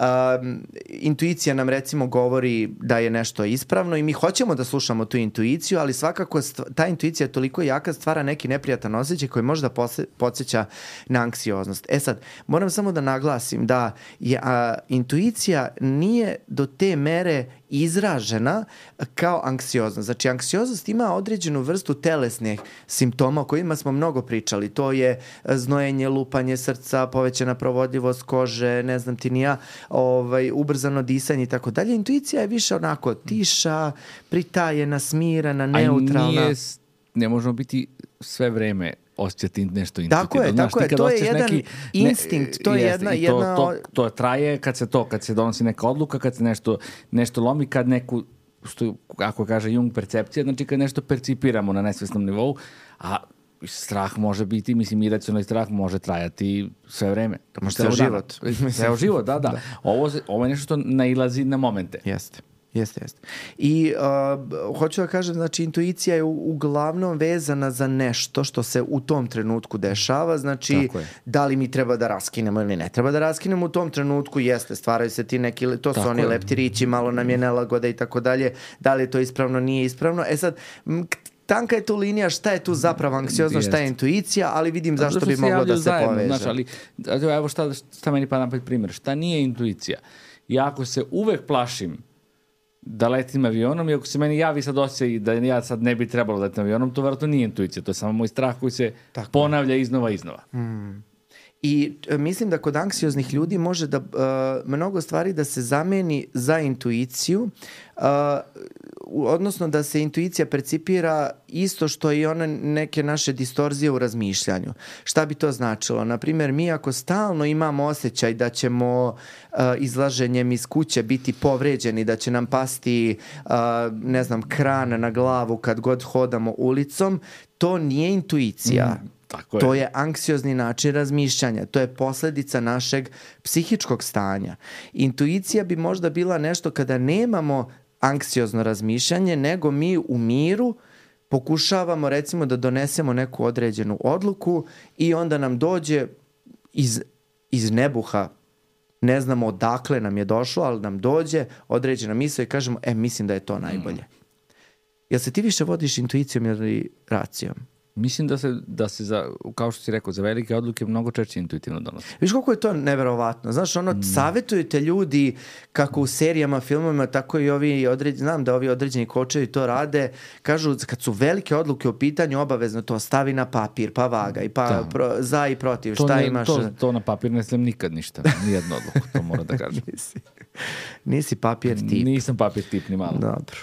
intuicija nam recimo govori da je nešto ispravno i mi hoćemo da slušamo tu intuiciju, ali svakako stva, ta intuicija je toliko jaka, stvara neki neprijatan osjećaj koji možda podsjeća na anksioznost. E sad, moram samo da naglasim da je, a, intuicija nije do te mere izražena kao anksioznost. Znači, anksioznost ima određenu vrstu telesnih simptoma o kojima smo mnogo pričali. To je znojenje, lupanje srca, povećana provodljivost kože, ne znam ti ni ja, ovaj, ubrzano disanje i tako dalje. Intuicija je više onako tiša, pritajena, smirana, neutralna. A nije, ne možemo biti sve vreme osjećati nešto intuitivno. Tako je, znaš, tako je. To je jedan neki, instinkt, to je jest, jedna... to, jedna... To, to traje kad se to, kad se donosi neka odluka, kad se nešto, nešto lomi, kad neku, što, ako kaže Jung, percepcija, znači kad nešto percipiramo na nesvesnom nivou, a strah može biti, mislim, iracionalni strah može trajati sve vreme. Ceo život. Ceo život, da, da. da. Ovo, ovo je nešto što nailazi na momente. Jeste. Jeste, jeste. I uh, hoću da kažem, znači, intuicija je u, uglavnom vezana za nešto što se u tom trenutku dešava, znači, da li mi treba da raskinemo ili ne treba da raskinemo u tom trenutku, jeste, stvaraju se ti neki, to su tako oni je. leptirići, malo nam je nelagoda i tako dalje, da li je to ispravno, nije ispravno. E sad, m- tanka je tu linija šta je tu zapravo anksiozno, šta je intuicija, ali vidim zašto bi moglo da se zajedno, poveže. Znaš, ali, evo šta, šta meni pada napred primjer, šta nije intuicija? Ja ako se uvek plašim da letim avionom i ako se meni javi sad osjećaj da ja sad ne bi trebalo letim avionom, to vjerojatno nije intuicija, to je samo moj strah koji se tako ponavlja iznova iznova. Mm. I e, mislim da kod anksioznih ljudi može da uh, mnogo stvari da se zameni za intuiciju, uh, odnosno da se intuicija percipira isto što i one neke naše distorzije u razmišljanju. Šta bi to značilo? Naprimjer, mi ako stalno imamo osjećaj da ćemo uh, izlaženjem iz kuće biti povređeni, da će nam pasti uh, ne znam, kran na glavu kad god hodamo ulicom, to nije intuicija. Mm. Tako je. To je anksiozni način razmišljanja. To je posledica našeg psihičkog stanja. Intuicija bi možda bila nešto kada nemamo anksiozno razmišljanje, nego mi u miru pokušavamo recimo da donesemo neku određenu odluku i onda nam dođe iz, iz nebuha, ne znamo odakle nam je došlo, ali nam dođe određena misao i kažemo, e, mislim da je to najbolje. Mm. Jel se ti više vodiš intuicijom ili racijom? Mislim da se, da se za, kao što si rekao, za velike odluke mnogo češće intuitivno donosi. Viš koliko je to neverovatno. Znaš, ono, mm. savjetujete ljudi kako u serijama, filmovima, tako i ovi određeni, znam da ovi određeni kočevi to rade, kažu kad su velike odluke u pitanju, obavezno to stavi na papir, pa vagaj, pa pro, za i protiv, to šta ne, imaš? To, to na papir ne slim nikad ništa, nijednu odluku, to mora da kažem. nisi, nisi papir tip. Nisam papir tip ni malo. Dobro.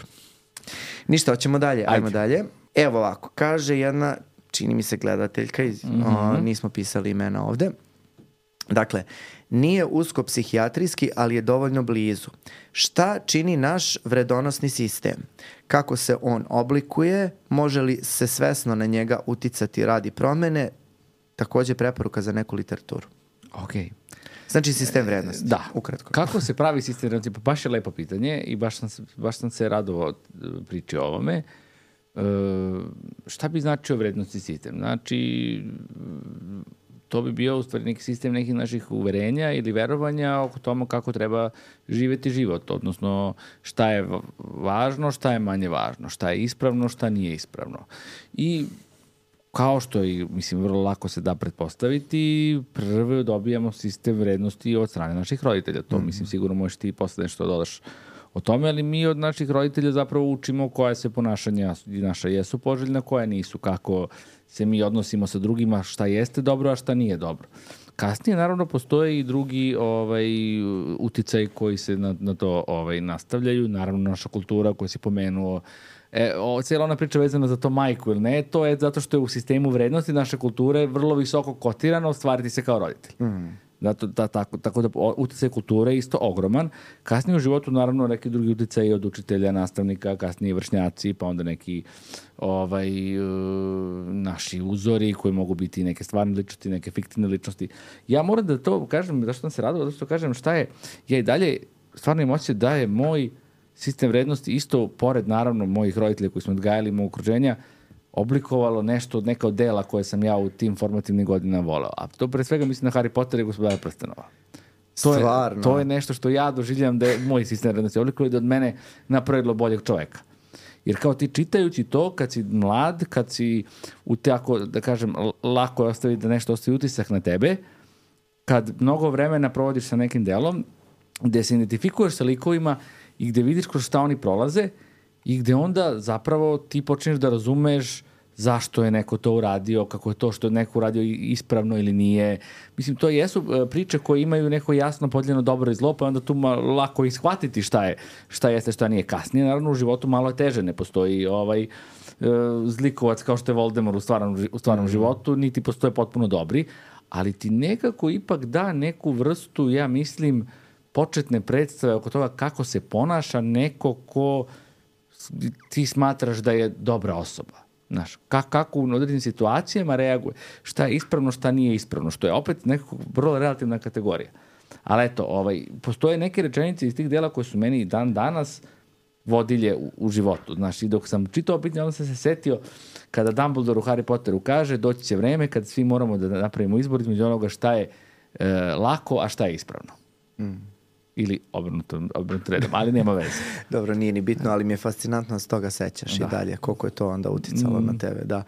Ništa, hoćemo dalje, ajmo Ajde. dalje. Evo ovako, kaže jedna, čini mi se gledateljka, iz, mm-hmm. o, nismo pisali imena ovde. Dakle, nije usko psihijatrijski, ali je dovoljno blizu. Šta čini naš vredonosni sistem? Kako se on oblikuje? Može li se svesno na njega uticati radi promene? Također preporuka za neku literaturu. Okej. Znači sistem vrednosti. Da. Ukratko. Kako se pravi sistem vrednosti? Pa baš je lepo pitanje i baš sam, baš sam se radovao priči o ovome. E, šta bi značio vrednostni sistem? Znači, to bi bio u stvari neki sistem nekih naših uverenja ili verovanja oko tome kako treba živjeti život, odnosno šta je važno, šta je manje važno, šta je ispravno, šta nije ispravno. I kao što i, mislim, vrlo lako se da pretpostaviti, prvo dobijamo sistem vrednosti od strane naših roditelja. To, mm-hmm. mislim, sigurno možeš ti posle nešto dodaš o tome, ali mi od naših roditelja zapravo učimo koja se ponašanja naša jesu poželjna, koja nisu, kako se mi odnosimo sa drugima, šta jeste dobro, a šta nije dobro. Kasnije, naravno, postoje i drugi ovaj, uticaj koji se na, na to ovaj, nastavljaju. Naravno, naša kultura koju si pomenuo, E, o, cijela ona priča vezana za to majku ili ne, to je zato što je u sistemu vrednosti naše kulture vrlo visoko kotirano ostvariti se kao roditelj. Mm. Zato, da, tako, tako da utjecaj kulture je isto ogroman. Kasnije u životu naravno neki drugi utjecaj od učitelja, nastavnika, kasnije vršnjaci, pa onda neki ovaj, uh, naši uzori koji mogu biti neke stvarne ličnosti, neke fiktivne ličnosti. Ja moram da to kažem, zašto sam se radila, zašto kažem šta je, ja i dalje stvarno imam osjećaj da je moj sistem vrednosti isto, pored naravno mojih roditelja koji smo odgajali mog okruženja, oblikovalo nešto od neka od dela koje sam ja u tim formativnim godinama voleo. A to pre svega mislim na Harry Potter i Gospodara prstenova. To je, to je nešto što ja doživljam da je moj sistem vrednosti oblikovao i da od mene napravilo boljeg čoveka. Jer kao ti čitajući to, kad si mlad, kad si u tako, da kažem, lako je ostaviti da nešto ostavi utisak na tebe, kad mnogo vremena provodiš sa nekim delom, gde se identifikuješ sa likovima i gde vidiš kroz šta oni prolaze i gde onda zapravo ti počneš da razumeš zašto je neko to uradio, kako je to što je neko uradio ispravno ili nije. Mislim, to jesu priče koje imaju neko jasno podeljeno dobro i zlo, pa onda tu lako ishvatiti šta je, šta jeste, šta nije. Kasnije, naravno, u životu malo je teže, ne postoji ovaj zlikovac kao što je Voldemort u stvarnom, u stvarnom mm. životu, niti postoje potpuno dobri, ali ti nekako ipak da neku vrstu, ja mislim, početne predstave oko toga kako se ponaša neko ko ti smatraš da je dobra osoba. Znaš, kako u određenim situacijama reaguje, šta je ispravno, šta nije ispravno, što je opet nekako vrlo relativna kategorija. Ali eto, ovaj, postoje neke rečenice iz tih dela koje su meni dan danas vodilje u, u životu. Znaš, i dok sam čitao pitanje, onda sam se setio kada Dumbledore u Harry Potteru kaže doći će vreme kad svi moramo da napravimo izbor između onoga šta je e, lako, a šta je ispravno. Mm. Ili obrnuto, obrnuto redom, ali nema veze. Dobro, nije ni bitno, ali mi je fascinantno s toga sećaš da. I dalje, koliko je to onda uticalo mm. na tebe, da.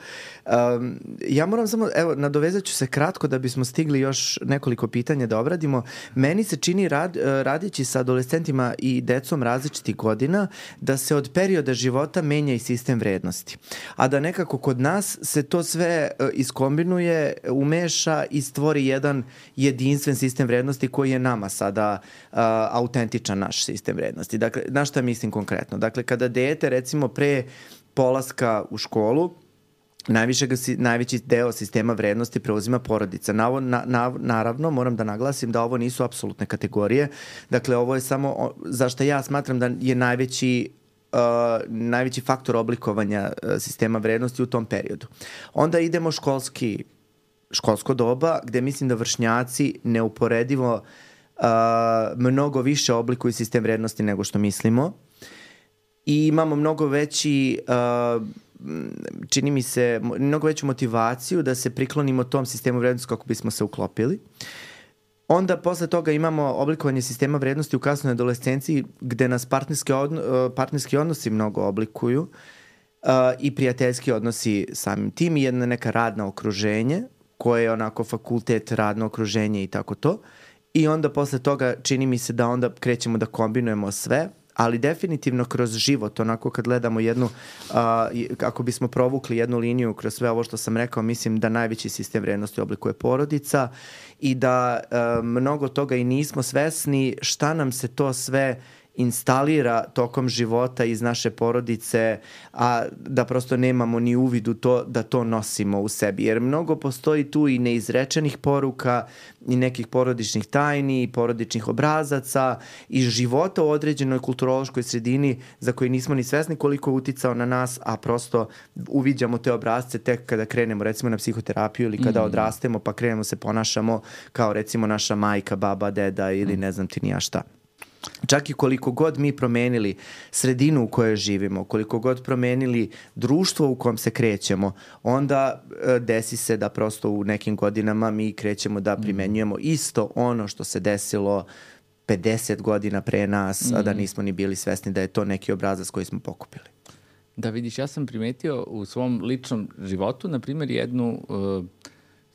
Um, ja moram samo, evo, nadovezat ću se kratko da bismo stigli još nekoliko pitanja da obradimo. Meni se čini rad, radići sa adolescentima i decom različitih godina da se od perioda života menja i sistem vrednosti. A da nekako kod nas se to sve iskombinuje, umeša i stvori jedan jedinstven sistem vrednosti koji je nama sada uh, autentičan naš sistem vrednosti. Dakle, na šta mislim konkretno? Dakle, kada dete, recimo, pre polaska u školu, najviše ga si, najveći deo sistema vrednosti preuzima porodica. Na ovo, na, na, naravno, moram da naglasim da ovo nisu apsolutne kategorije. Dakle, ovo je samo, zašto ja smatram da je najveći Uh, najveći faktor oblikovanja uh, sistema vrednosti u tom periodu. Onda idemo školski, školsko doba, gde mislim da vršnjaci neuporedivo Uh, mnogo više oblikuju sistem vrednosti nego što mislimo i imamo mnogo veći uh, čini mi se mnogo veću motivaciju da se priklonimo tom sistemu vrednosti kako bismo se uklopili. Onda posle toga imamo oblikovanje sistema vrednosti u kasnoj adolescenciji gde nas partnerski, odno, partnerski odnosi mnogo oblikuju uh, i prijateljski odnosi samim tim i jedna neka radna okruženje koje je onako fakultet, radno okruženje i tako to. I onda posle toga čini mi se da onda krećemo da kombinujemo sve, ali definitivno kroz život, onako kad gledamo jednu, uh, ako bismo provukli jednu liniju kroz sve ovo što sam rekao, mislim da najveći sistem vrednosti oblikuje porodica i da uh, mnogo toga i nismo svesni šta nam se to sve instalira tokom života iz naše porodice, a da prosto nemamo ni uvid u to da to nosimo u sebi. Jer mnogo postoji tu i neizrečenih poruka, i nekih porodičnih tajni, i porodičnih obrazaca, i života u određenoj kulturološkoj sredini za koji nismo ni svesni koliko je uticao na nas, a prosto uviđamo te obrazce tek kada krenemo recimo na psihoterapiju ili kada mm. odrastemo pa krenemo se ponašamo kao recimo naša majka, baba, deda ili mm. ne znam ti ni ja šta. Čak i koliko god mi promenili sredinu u kojoj živimo, koliko god promenili društvo u kom se krećemo, onda e, desi se da prosto u nekim godinama mi krećemo da primenjujemo isto ono što se desilo pedeset godina pre nas, mm. a da nismo ni bili svesni da je to neki obrazac koji smo pokupili. Da vidiš, ja sam primetio u svom ličnom životu, na primjer, jednu uh,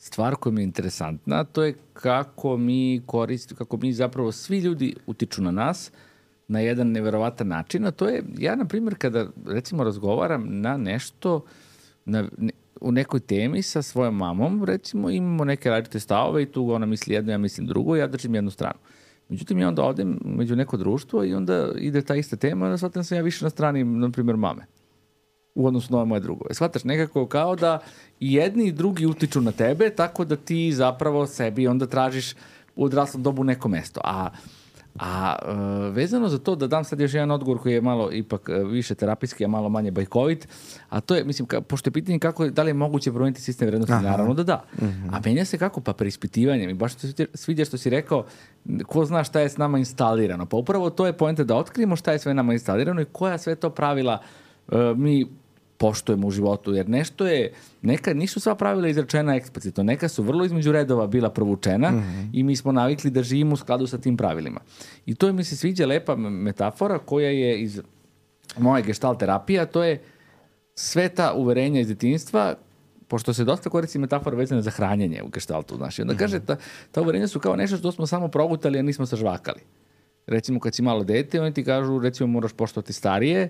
stvar koja mi je interesantna, to je kako mi koristimo, kako mi zapravo svi ljudi utiču na nas na jedan neverovatan način, a to je, ja na primjer kada recimo razgovaram na nešto, na, ne, u nekoj temi sa svojom mamom, recimo imamo neke različite stavove i tu ona misli jedno, ja mislim drugo, ja držim jednu stranu. Međutim, ja onda odem među neko društvo i onda ide ta ista tema, onda shvatam sam ja više na strani, na primjer, mame u odnosu na moje drugove. Shvataš nekako kao da i jedni i drugi utiču na tebe, tako da ti zapravo sebi onda tražiš u odraslom dobu neko mesto. A A uh, vezano za to da dam sad još jedan odgovor koji je malo ipak uh, više terapijski, a malo manje bajkovit, a to je, mislim, ka, pošto je pitanje kako, da li je moguće promijeniti sistem vrednosti, aha, naravno da da. Mm-hmm. A menja se kako? Pa preispitivanjem. I baš se sviđa što si rekao, ko zna šta je s nama instalirano. Pa upravo to je poenta da otkrijemo šta je sve nama instalirano i koja sve to pravila uh, mi poštujemo u životu, jer nešto je, neka nisu sva pravila izrečena eksplicitno, neka su vrlo između redova bila provučena, mm-hmm, i mi smo navikli da živimo u skladu sa tim pravilima. I to mi se sviđa lepa metafora koja je iz moje gestalt terapije, to je sve ta uverenja iz djetinjstva, pošto se dosta koristi metafora vezana za hranjenje u gestaltu. Znači, onda mm-hmm, kaže, ta, ta uverenja su kao nešto što smo samo progutali, a nismo sažvakali. Recimo, kad si malo dete, oni ti kažu, recimo, moraš poštovati starije,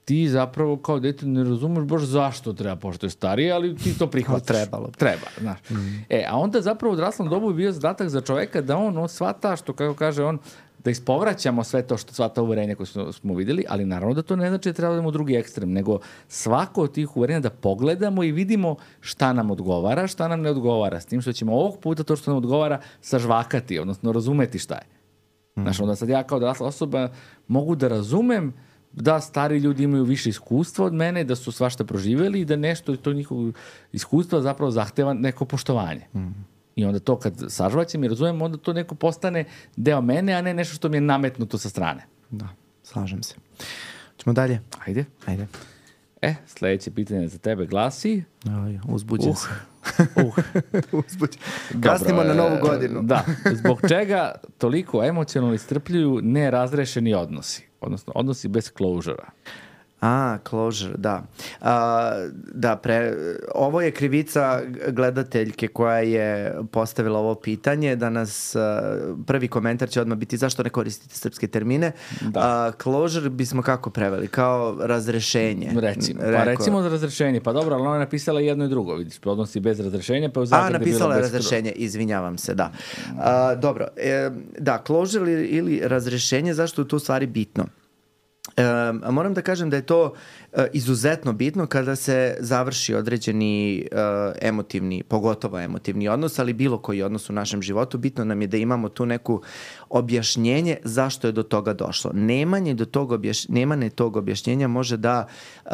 ti zapravo kao dete ne razumeš baš zašto treba pošto je starije, ali ti to prihvataš. Trebalo. Treba, znaš. Mm. E, a onda zapravo u odraslom dobu je bio zadatak za čoveka da on, on shvata, što kako kaže on, da ispovraćamo sve to što sva ta uverenja koje smo, smo vidjeli, ali naravno da to ne znači da treba da idemo u drugi ekstrem, nego svako od tih uverenja da pogledamo i vidimo šta nam odgovara, šta nam ne odgovara, s tim što ćemo ovog puta to što nam odgovara sažvakati, odnosno razumeti šta je. Mm. Znaš, onda sad ja kao odrasla osoba mogu da razumem da stari ljudi imaju više iskustva od mene, da su svašta proživjeli i da nešto to njihovo iskustva zapravo zahteva neko poštovanje. Mm. I onda to kad sažvaćem i razumijem, onda to neko postane deo mene, a ne nešto što mi je nametnuto sa strane. Da, slažem se. Ćemo dalje? Ajde. Ajde. E, sljedeće pitanje za tebe glasi... Aj, uzbuđen uh. se. Uh. Uzbuđen. Kasnimo na novu godinu. Da. Zbog čega toliko emocionalno istrpljuju nerazrešeni odnosi? Odnosno, odnosi bez closure-a. A, closure, da. A, da, pre, ovo je krivica gledateljke koja je postavila ovo pitanje, da nas a, prvi komentar će odmah biti zašto ne koristite srpske termine. Da. A, closure bismo kako preveli? Kao razrešenje. Recimo, pa Reko, recimo za razrešenje. Pa dobro, ali ona je napisala jedno i drugo, vidiš, odnosi bez razrešenja, pa u zagradi A, napisala je bez razrešenje, kru... izvinjavam se, da. A, dobro, e, da, closure ili, ili razrešenje, zašto je tu stvari bitno? Um, moram da kažem da je to uh, izuzetno bitno kada se završi određeni uh, emotivni, pogotovo emotivni odnos, ali bilo koji odnos u našem životu. Bitno nam je da imamo tu neku objašnjenje zašto je do toga došlo. Nemanje, do tog objaš... Nemanje tog objašnjenja može da uh,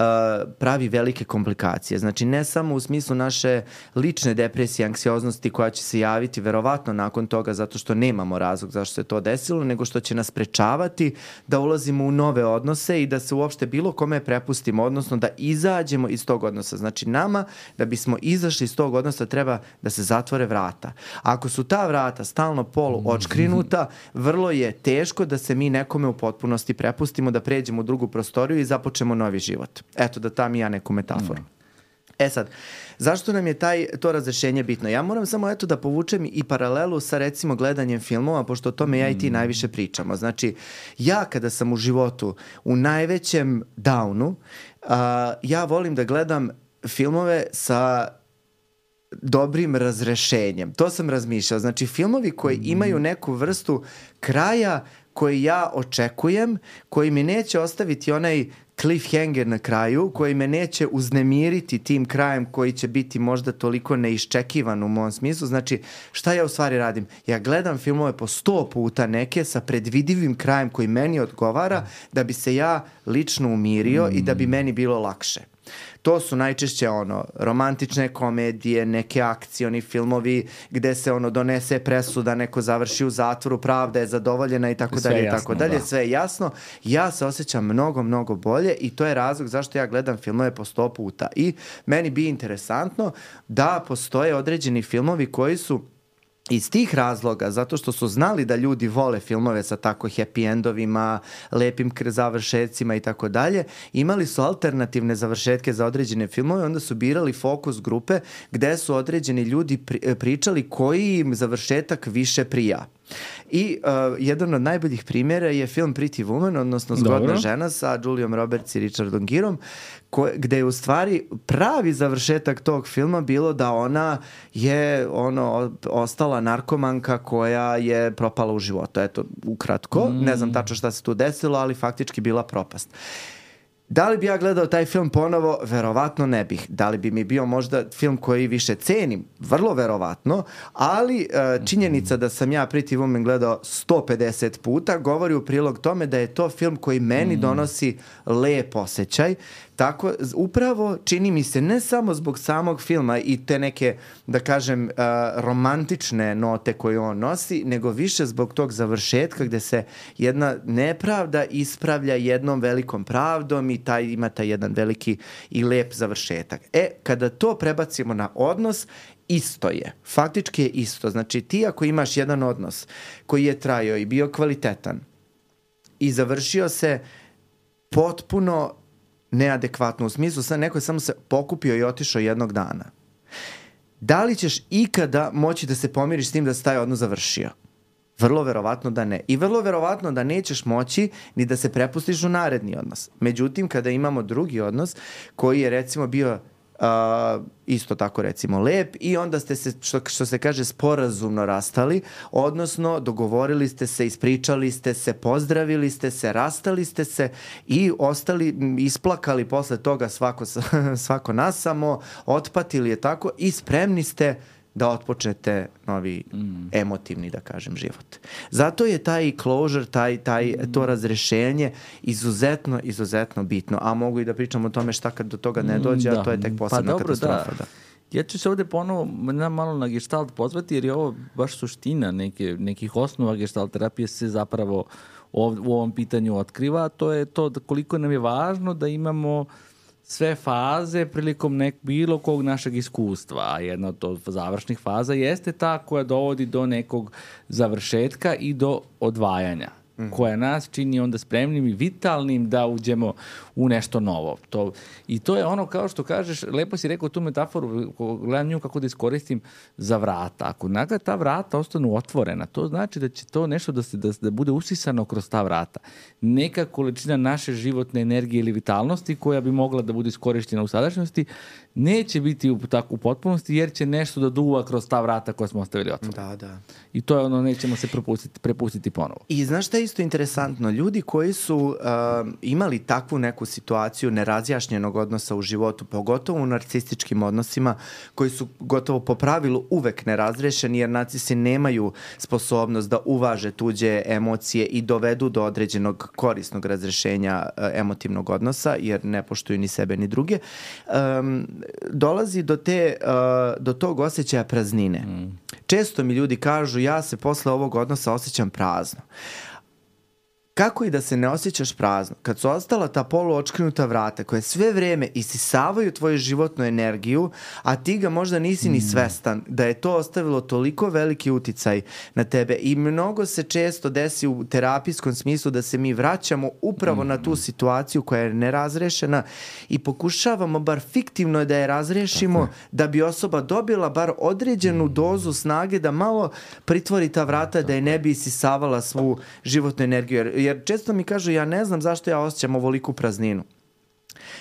pravi velike komplikacije. Znači, ne samo u smislu naše lične depresije, anksioznosti koja će se javiti verovatno nakon toga zato što nemamo razlog zašto se to desilo, nego što će nas sprečavati da ulazimo u nove odnose i da se uopšte bilo kome prepustimo, odnosno da izađemo iz tog odnosa. Znači, nama, da bismo izašli iz tog odnosa, treba da se zatvore vrata. Ako su ta vrata stalno polu odškrinuta, vrlo je teško da se mi nekome u potpunosti prepustimo, da pređemo u drugu prostoriju i započemo novi život. Eto, da tam i ja neku metaforu. E sad, zašto nam je taj, to razrešenje bitno? Ja moram samo eto da povučem i paralelu sa recimo gledanjem filmova, pošto o tome ja i ti najviše pričamo. Znači, ja kada sam u životu u najvećem downu, uh, ja volim da gledam filmove sa dobrim razrešenjem. To sam razmišljao. Znači, filmovi koji imaju neku vrstu kraja koji ja očekujem, koji mi neće ostaviti onaj cliffhanger na kraju, koji me neće uznemiriti tim krajem koji će biti možda toliko neiščekivan u mom smislu. Znači, šta ja u stvari radim? Ja gledam filmove po sto puta neke sa predvidivim krajem koji meni odgovara da bi se ja lično umirio mm. i da bi meni bilo lakše. To su najčešće ono romantične komedije, neke akcioni filmovi gde se ono donese presuda, neko završi u zatvoru, pravda je zadovoljena i tako dalje i tako dalje, sve je jasno. Ja se osjećam mnogo, mnogo bolje i to je razlog zašto ja gledam filmove po sto puta. I meni bi interesantno da postoje određeni filmovi koji su iz tih razloga, zato što su znali da ljudi vole filmove sa tako happy endovima, lepim završetcima i tako dalje, imali su alternativne završetke za određene filmove, onda su birali fokus grupe gde su određeni ljudi pričali koji im završetak više prija. I uh, jedan od najboljih primjera je film Pretty Woman, odnosno Zgodna Dobro. žena sa Julijom Roberts i Richardom Gerom, ko, gde je u stvari pravi završetak tog filma bilo da ona je ono ostala narkomanka koja je propala u životu. Eto, ukratko, mm. ne znam tačno šta se tu desilo, ali faktički bila propast. Da li bi ja gledao taj film ponovo? Verovatno ne bih. Da li bi mi bio možda film koji više cenim? Vrlo verovatno, ali uh, činjenica da sam ja Pretty Woman gledao sto pedeset puta govori u prilog tome da je to film koji meni donosi lep osjećaj. Tako, upravo čini mi se ne samo zbog samog filma i te neke, da kažem, uh, romantične note koje on nosi, nego više zbog tog završetka gde se jedna nepravda ispravlja jednom velikom pravdom i taj, ima taj jedan veliki i lep završetak. E, kada to prebacimo na odnos, isto je. Faktički je isto. Znači, ti ako imaš jedan odnos koji je trajao i bio kvalitetan i završio se potpuno neadekvatno, u smislu sad neko je samo se pokupio i otišao jednog dana. Da li ćeš ikada moći da se pomiriš s tim da se taj odnos završio? Vrlo verovatno da ne. I vrlo verovatno da nećeš moći ni da se prepustiš u naredni odnos. Međutim, kada imamo drugi odnos koji je recimo bio Uh, isto tako recimo lep i onda ste se, što, što se kaže, sporazumno rastali, odnosno dogovorili ste se, ispričali ste se, pozdravili ste se, rastali ste se i ostali, isplakali posle toga svako, svako nas samo, otpatili je tako i spremni ste da otpočnete novi mm. emotivni, da kažem, život. Zato je taj closure, taj, taj, mm. to razrešenje izuzetno, izuzetno bitno. A mogu i da pričam o tome šta kad do toga ne dođe, mm, da. a to je tek posebna pa, dobro, katastrofa. Da. Da. Ja ću se ovde ponovo malo na gestalt pozvati, jer je ovo baš suština neke, nekih osnova gestalt terapije se zapravo ov, u ovom pitanju otkriva. To je to da koliko nam je važno da imamo sve faze prilikom nek bilo kog našeg iskustva, a jedna od završnih faza jeste ta koja dovodi do nekog završetka i do odvajanja, mm. koja nas čini onda spremnim i vitalnim da uđemo u nešto novo. To, I to je ono, kao što kažeš, lepo si rekao tu metaforu, gledam nju kako da iskoristim za vrata. Ako naga ta vrata ostanu otvorena, to znači da će to nešto da, se, da, da bude usisano kroz ta vrata. Neka količina naše životne energije ili vitalnosti koja bi mogla da bude iskorištena u sadašnjosti neće biti u, tako, u potpunosti, jer će nešto da duva kroz ta vrata koja smo ostavili otvorena. Da, da. I to je ono, nećemo se prepustiti, prepustiti ponovo. I znaš šta je isto interesantno? Ljudi koji su uh, imali takvu neku situaciju nerazjašnjenog odnosa u životu, pogotovo u narcističkim odnosima, koji su gotovo po pravilu uvek nerazrešeni, jer narcisi nemaju sposobnost da uvaže tuđe emocije i dovedu do određenog korisnog razrešenja uh, emotivnog odnosa, jer ne poštuju ni sebe ni druge. Um, dolazi do, te, uh, do tog osjećaja praznine. Mm. Često mi ljudi kažu, ja se posle ovog odnosa osjećam prazno. Kako i da se ne osjećaš prazno? Kad su ostala ta poluočkrinuta vrata koje sve vreme isisavaju tvoju životnu energiju, a ti ga možda nisi ni svestan da je to ostavilo toliko veliki uticaj na tebe i mnogo se često desi u terapijskom smislu da se mi vraćamo upravo mm. na tu situaciju koja je nerazrešena i pokušavamo bar fiktivno da je razrešimo da bi osoba dobila bar određenu mm. dozu snage da malo pritvori ta vrata da je ne bi isisavala svu životnu energiju. Jer Jer često mi kažu, ja ne znam zašto ja osjećam ovoliku prazninu.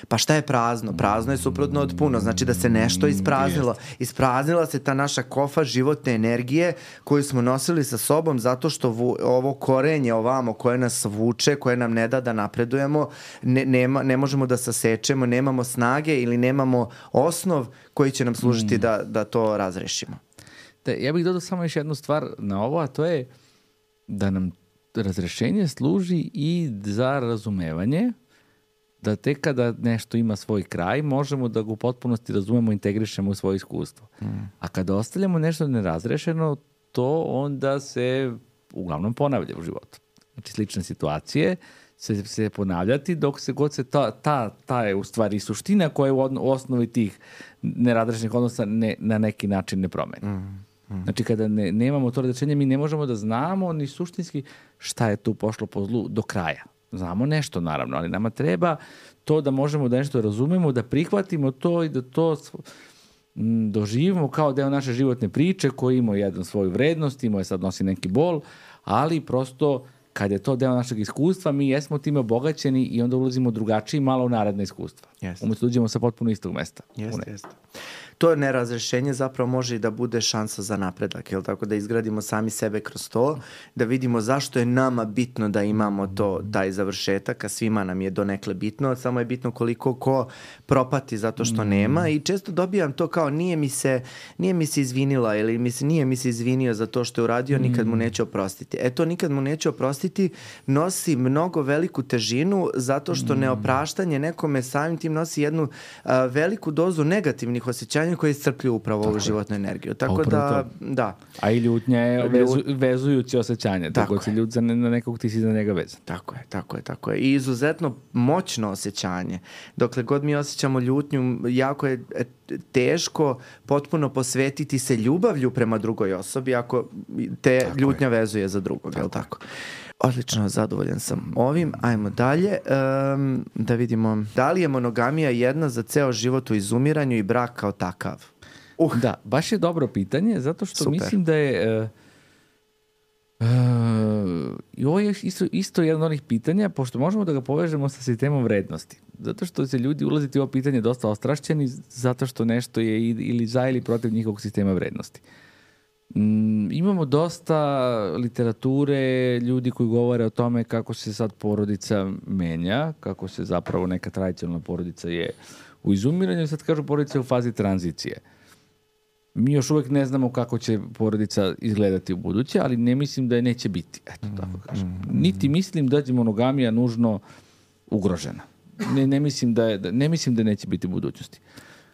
Pa šta je prazno? Prazno je suprotno od puno. Znači da se nešto ispraznilo. Ispraznila se ta naša kofa životne energije koju smo nosili sa sobom zato što vu, ovo korenje ovamo koje nas vuče, koje nam ne da da napredujemo, ne, nema, ne možemo da sasečemo, nemamo snage ili nemamo osnov koji će nam služiti mm. da, da to razrešimo. Da, ja bih dodao samo još jednu stvar na ovo, a to je da nam razrešenje služi i za razumevanje, da tek kada nešto ima svoj kraj, možemo da ga u potpunosti razumemo i integrišemo u svoje iskustvo. Mm. A kada ostavljamo nešto nerazrešeno, to onda se uglavnom ponavlja u životu. Znači, slične situacije se, se ponavljati dok se god se ta, ta, ta je u stvari suština koja je u osnovi tih nerazrešenih odnosa ne, na neki način ne promeni. Mm. Znači, kada ne, nemamo to razrešenje, mi ne možemo da znamo ni suštinski šta je tu pošlo po zlu do kraja. Znamo nešto, naravno, ali nama treba to da možemo da nešto razumemo, da prihvatimo to i da to m, doživimo kao deo naše životne priče koji ima jedan svoju vrednost, ima je sad nosi neki bol, ali prosto kada je to deo našeg iskustva, mi jesmo time obogaćeni i onda ulazimo drugačiji malo u naredne iskustva. Yes. Umjesto uđemo sa potpuno istog mesta. Jeste, jeste. To nerazrešenje zapravo može i da bude šansa za napredak, jel tako, da izgradimo sami sebe kroz to, da vidimo zašto je nama bitno da imamo to, taj završetak, a svima nam je donekle bitno, samo je bitno koliko ko propati zato što nema i često dobijam to kao nije mi se, nije mi se izvinila ili mi se, nije mi se izvinio za to što je uradio, nikad mu neće oprostiti. E to nikad mu neće oprostiti nosi mnogo veliku težinu zato što neopraštanje nekome samim tim nosi jednu a, veliku dozu negativnih osjećanja koje iscrpljuju upravo ovu životnu energiju. Tako da, da. A i ljutnja je vezu, vezujući osjećanje. Tako, tako se ljut za ne, na nekog, ti si za njega vezan. Tako je, tako je, tako je. I izuzetno moćno osjećanje. Dokle god mi osjećamo ljutnju, jako je teško potpuno posvetiti se ljubavlju prema drugoj osobi ako te tako ljutnja je. Vezuje za drugog, je li tako? Odlično, zadovoljan sam ovim. Ajmo dalje. Um, da vidimo. Da li je monogamija jedna za ceo život u izumiranju i brak kao takav? Uh. Da, baš je dobro pitanje, zato što Super. Mislim da je... Uh, uh, i ovo je isto, isto jedno od onih pitanja, pošto možemo da ga povežemo sa sistemom vrednosti. Zato što se ljudi ulaziti u ovo pitanje dosta ostrašćeni, zato što nešto je ili za ili protiv njihovog sistema vrednosti. Mm, imamo dosta literature, ljudi koji govore o tome kako se sad porodica menja, kako se zapravo neka tradicionalna porodica je u izumiranju, sad kažu porodica je u fazi tranzicije. Mi još uvijek ne znamo kako će porodica izgledati u buduće, ali ne mislim da je neće biti. Eto, tako kažem. Niti mislim da je monogamija nužno ugrožena. Ne, ne, mislim da je, ne mislim da neće biti u budućnosti.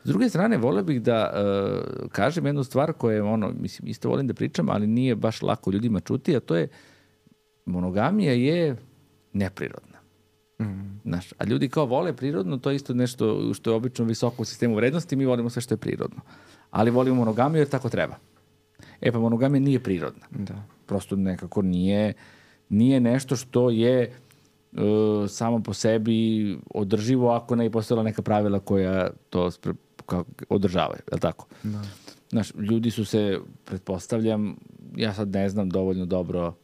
S druge strane, volio bih da uh, kažem jednu stvar koja je, ono, mislim, isto volim da pričam, ali nije baš lako ljudima čuti, a to je monogamija je neprirodna. Mm. Znaš, a ljudi kao vole prirodno, to je isto nešto što je obično visoko u sistemu vrednosti, mi volimo sve što je prirodno. Ali volimo monogamiju jer tako treba. E pa monogamija nije prirodna. Da. Prosto nekako nije, nije nešto što je uh, samo po sebi održivo ako ne postojala neka pravila koja to spre, kao, održavaju. Je li tako? Da. Znaš, ljudi su se, pretpostavljam, ja sad ne znam dovoljno dobro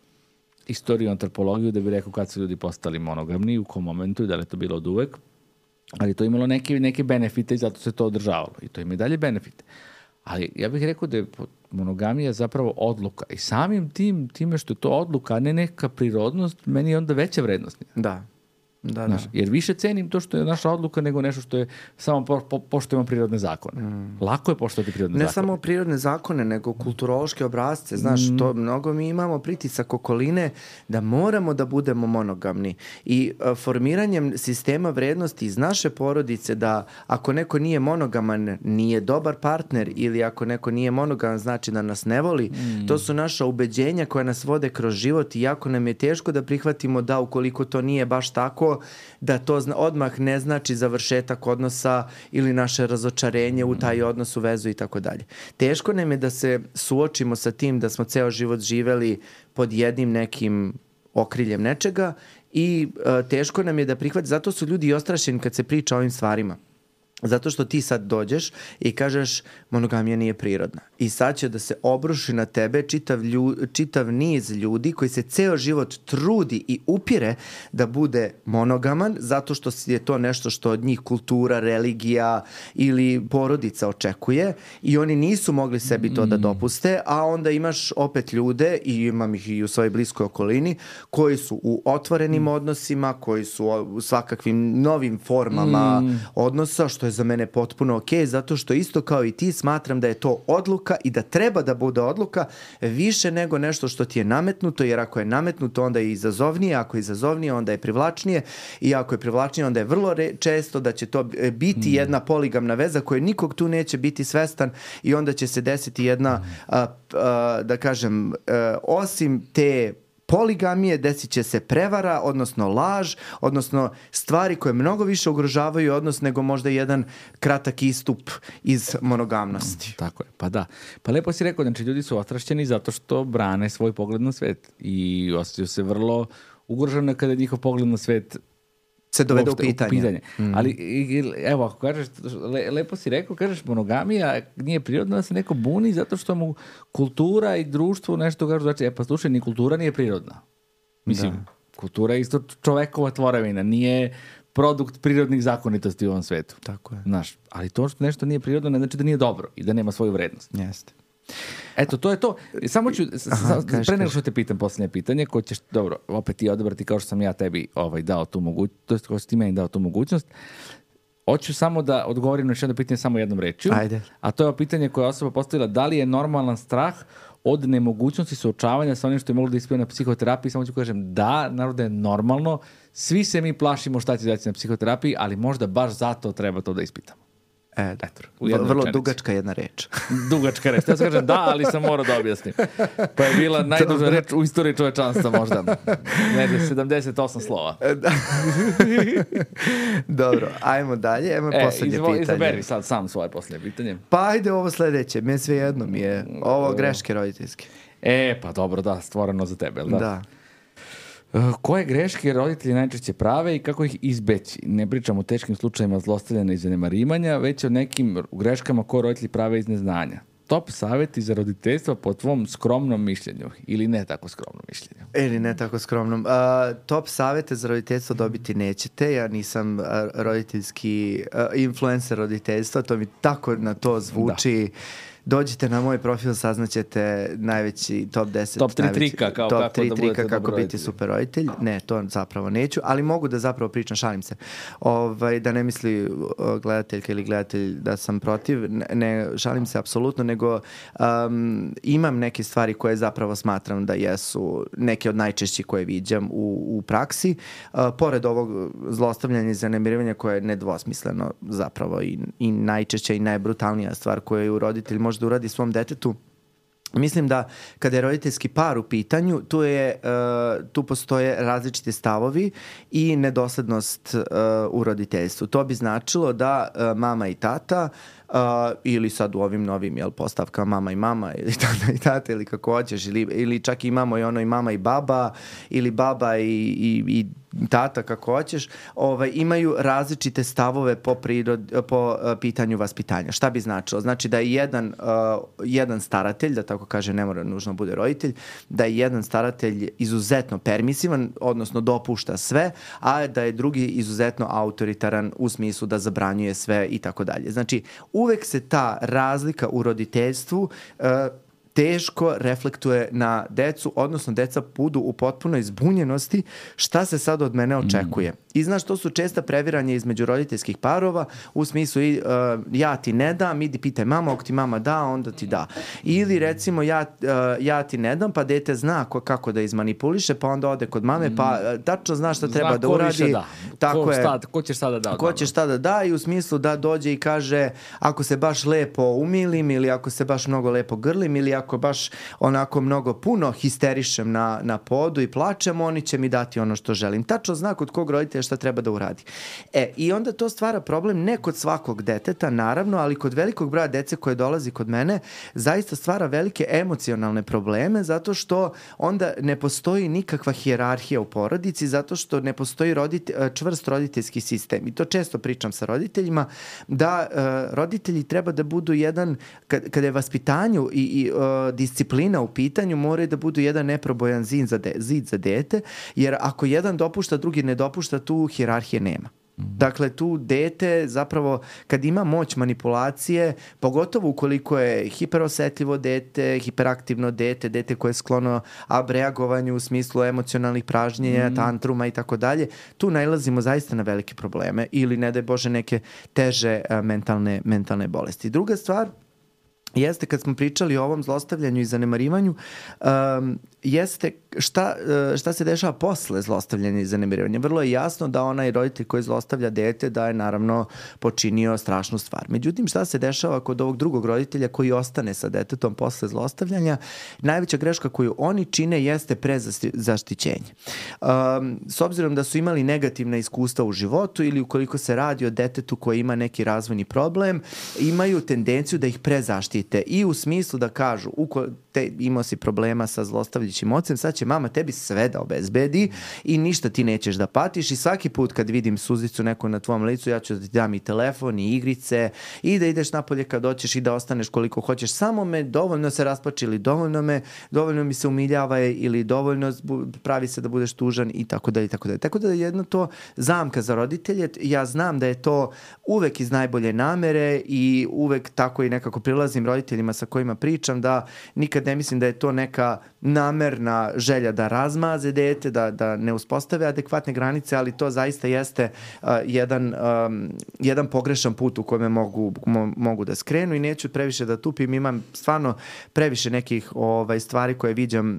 istoriju, antropologiju da bi rekao kad su ljudi postali monogamni, u kom momentu i da li je to bilo od uvek. Ali to je imalo neke, neke benefite i zato se to održavalo. I to ima i dalje benefite. Ali ja bih rekao da je monogamija zapravo odluka. I samim tim, time što je to odluka, a ne neka prirodnost, meni je onda veća vrednost. Da. Da, Znaš, da. Jer više cenim to što je naša odluka nego nešto što je samo po, po, poštujemo prirodne zakone. Mm. Lako je poštovati prirodne ne zakone. Ne samo prirodne zakone, nego kulturološke obrasce. Znaš, mm. to mnogo mi imamo pritisak okoline da moramo da budemo monogamni. I uh, formiranjem sistema vrednosti iz naše porodice da ako neko nije monogaman, nije dobar partner ili ako neko nije monogaman, znači da nas ne voli. Mm. To su naša ubeđenja koja nas vode kroz život i jako nam je teško da prihvatimo da ukoliko to nije baš tako, da to zna, odmah ne znači završetak odnosa ili naše razočarenje u taj odnos, u vezu i tako dalje. Teško nam je da se suočimo sa tim da smo ceo život živeli pod jednim nekim okriljem nečega i uh, teško nam je da prihvati, zato su ljudi ostrašeni kad se priča o ovim stvarima. Zato što ti sad dođeš i kažeš monogamija nije prirodna. I sad će da se obruši na tebe čitav, lju, čitav niz ljudi koji se ceo život trudi i upire da bude monogaman zato što je to nešto što od njih kultura, religija ili porodica očekuje i oni nisu mogli sebi to da dopuste, a onda imaš opet ljude i imam ih i u svojoj bliskoj okolini koji su u otvorenim odnosima, koji su u svakakvim novim formama mm. odnosa, što je za mene potpuno ok, zato što isto kao i ti smatram da je to odluka i da treba da bude odluka više nego nešto što ti je nametnuto, jer ako je nametnuto onda je izazovnije, ako je izazovnije onda je privlačnije i ako je privlačnije onda je vrlo re- često da će to biti mm. jedna poligamna veza koja nikog tu neće biti svestan i onda će se desiti jedna, mm. a, a, da kažem, a, osim te poligamije, desit će se prevara, odnosno laž, odnosno stvari koje mnogo više ugrožavaju odnos nego možda jedan kratak istup iz monogamnosti. Mm, tako je, pa da. Pa lepo si rekao, znači ljudi su ostrašćeni zato što brane svoj pogled na svet i osjećaju se vrlo ugroženo kada njihov pogled na svet se dovede u pitanje. U pitanje. Mm. Ali, evo, ako kažeš, le, lepo si rekao, kažeš monogamija nije prirodna, da se neko buni zato što mu kultura i društvo nešto kažu, znači, e pa slušaj, ni kultura nije prirodna. Mislim, da. Kultura je isto čovekova tvorevina, nije produkt prirodnih zakonitosti u ovom svetu. Tako je. Znaš, ali to što nešto nije prirodno ne znači da nije dobro i da nema svoju vrednost. Jeste. Eto, to je to. Samo ću, Aha, kaži, pre nego što te pitam posljednje pitanje, ko ćeš, dobro, opet ti odabrati kao što sam ja tebi ovaj, dao tu mogućnost, to je kao što ti meni dao tu mogućnost. Hoću samo da odgovorim na još jedno pitanje samo jednom rečju. Ajde. A to je pitanje koje je osoba postavila, da li je normalan strah od nemogućnosti suočavanja sa onim što je moglo da ispije na psihoterapiji. Samo ću kažem da, naravno da je normalno. Svi se mi plašimo šta će dati na psihoterapiji, ali možda baš zato treba to da ispitamo. E, Eto, vrlo rečenici. Dugačka jedna reč. Dugačka reč. Ja sam kažem da, ali sam morao da objasnim. Pa je bila najduža reč u istoriji čovečanstva možda. Negde sedamdeset osam slova. Dobro, ajmo dalje. Ajmo e, poslednje izvo, pitanje. Izaberi sad sam svoje poslednje pitanje. Pa ajde ovo sledeće. Me sve jedno mi je. Ovo greške roditeljske. E, pa dobro, da, stvoreno za tebe, da? Da. Koje greške roditelji najčešće prave i kako ih izbeći? Ne pričam o teškim slučajima zlostavljanja i zanemarivanja, već o nekim greškama koje roditelji prave iz neznanja. Top savjeti za roditeljstvo po tvom skromnom mišljenju ili ne tako skromnom mišljenju? Ili ne tako skromnom. Uh, top savjete za roditeljstvo dobiti nećete. Ja nisam uh, roditeljski uh, influencer roditeljstva, to mi tako na to zvuči. Da. Dođite na moj profil, saznaćete najveći top deset. Top tri trika kao top kako tri da trika kako biti super roditelj. Ne, to zapravo neću, ali mogu da zapravo pričam, šalim se. Ovaj, da ne misli gledateljka ili gledatelj da sam protiv, ne, ne šalim se apsolutno, nego um, imam neke stvari koje zapravo smatram da jesu neke od najčešćih koje viđam u, u praksi. Uh, pored ovog zlostavljanja i zanemarivanja koje je nedvosmisleno zapravo i, i najčešća i najbrutalnija stvar koju roditelj može da uradi svom detetu. Mislim da kada je roditeljski par u pitanju, tu, je, uh, tu postoje različite stavovi i nedoslednost uh, u roditeljstvu. To bi značilo da uh, mama i tata Uh, ili sad u ovim novim jel, postavkama mama i mama ili tata i tata ili kako hoćeš ili, ili čak imamo i ono i mama i baba ili baba i, i, i tata kako hoćeš, ovaj, imaju različite stavove po, prirod, po uh, pitanju vaspitanja. Šta bi značilo? Znači da je jedan, uh, jedan staratelj, da tako kaže, ne mora nužno bude roditelj, da je jedan staratelj izuzetno permisivan, odnosno dopušta sve, a da je drugi izuzetno autoritaran u smislu da zabranjuje sve i tako dalje. Znači, uvek se ta razlika u roditeljstvu uh, teško reflektuje na decu, odnosno deca budu u potpunoj zbunjenosti šta se sad od mene očekuje. Mm. I znaš, to su česta previranja između roditeljskih parova u smislu uh, ja ti ne dam, idi pitaj mama, ako ti mama da, onda ti da. Ili recimo ja, uh, ja ti ne dam, pa dete zna ko, kako da izmanipuliše, pa onda ode kod mame, pa uh, tačno zna šta treba zna da uradi. Da. Tako ko, je. Šta, ko će šta da da? Ko će šta da da i u smislu da dođe i kaže ako se baš lepo umilim ili ako se baš mnogo lepo grlim ili ako baš onako mnogo puno histerišem na, na podu i plačem, oni će mi dati ono što želim. Tačno zna kod kog roditelja šta treba da uradi. E, i onda to stvara problem ne kod svakog deteta, naravno, ali kod velikog broja dece koje dolazi kod mene, zaista stvara velike emocionalne probleme, zato što onda ne postoji nikakva hijerarhija u porodici, zato što ne postoji rodite, čvrst roditeljski sistem. I to često pričam sa roditeljima, da uh, roditelji treba da budu jedan, kad, kada je vaspitanju i, i uh, disciplina u pitanju, moraju da budu jedan neprobojan zid za, de, zid za dete, jer ako jedan dopušta, drugi ne dopušta, tu hijerarhije nema. Dakle, tu dete zapravo kad ima moć manipulacije, pogotovo ukoliko je hiperosetljivo dete, hiperaktivno dete, dete koje je sklono abreagovanju u smislu emocionalnih pražnjenja, mm. tantruma i tako dalje, tu nailazimo zaista na velike probleme ili ne daj Bože neke teže uh, mentalne, mentalne bolesti. Druga stvar jeste kad smo pričali o ovom zlostavljanju i zanemarivanju, um, jeste šta, šta se dešava posle zlostavljanja i zanemarivanja. Vrlo je jasno da onaj roditelj koji zlostavlja dete da je naravno počinio strašnu stvar. Međutim, šta se dešava kod ovog drugog roditelja koji ostane sa detetom posle zlostavljanja? Najveća greška koju oni čine jeste prezaštićenje. Um, s obzirom da su imali negativna iskustva u životu ili ukoliko se radi o detetu koji ima neki razvojni problem, imaju tendenciju da ih prezaštite i u smislu da kažu, uko te imao si problema sa zlostavljajućim ocem, sad će će mama tebi sve da obezbedi i ništa ti nećeš da patiš i svaki put kad vidim suzicu neku na tvom licu, ja ću da ti dam i telefon i igrice i da ideš napolje kad hoćeš i da ostaneš koliko hoćeš, samo me dovoljno se rasplači ili dovoljno me, dovoljno mi se umiljava ili dovoljno pravi se da budeš tužan i tako dalje i tako dalje. Tako da je jedno to zamka za roditelje. Ja znam da je to uvek iz najbolje namere i uvek tako i nekako prilazim roditeljima sa kojima pričam, da nikad ne mislim da je to neka namerna želja da razmaze dete, da, da ne uspostave adekvatne granice, ali to zaista jeste uh, jedan, um, jedan pogrešan put u kojem mogu, mo, mogu da skrenu i neću previše da tupim. Imam stvarno previše nekih ovaj, stvari koje viđam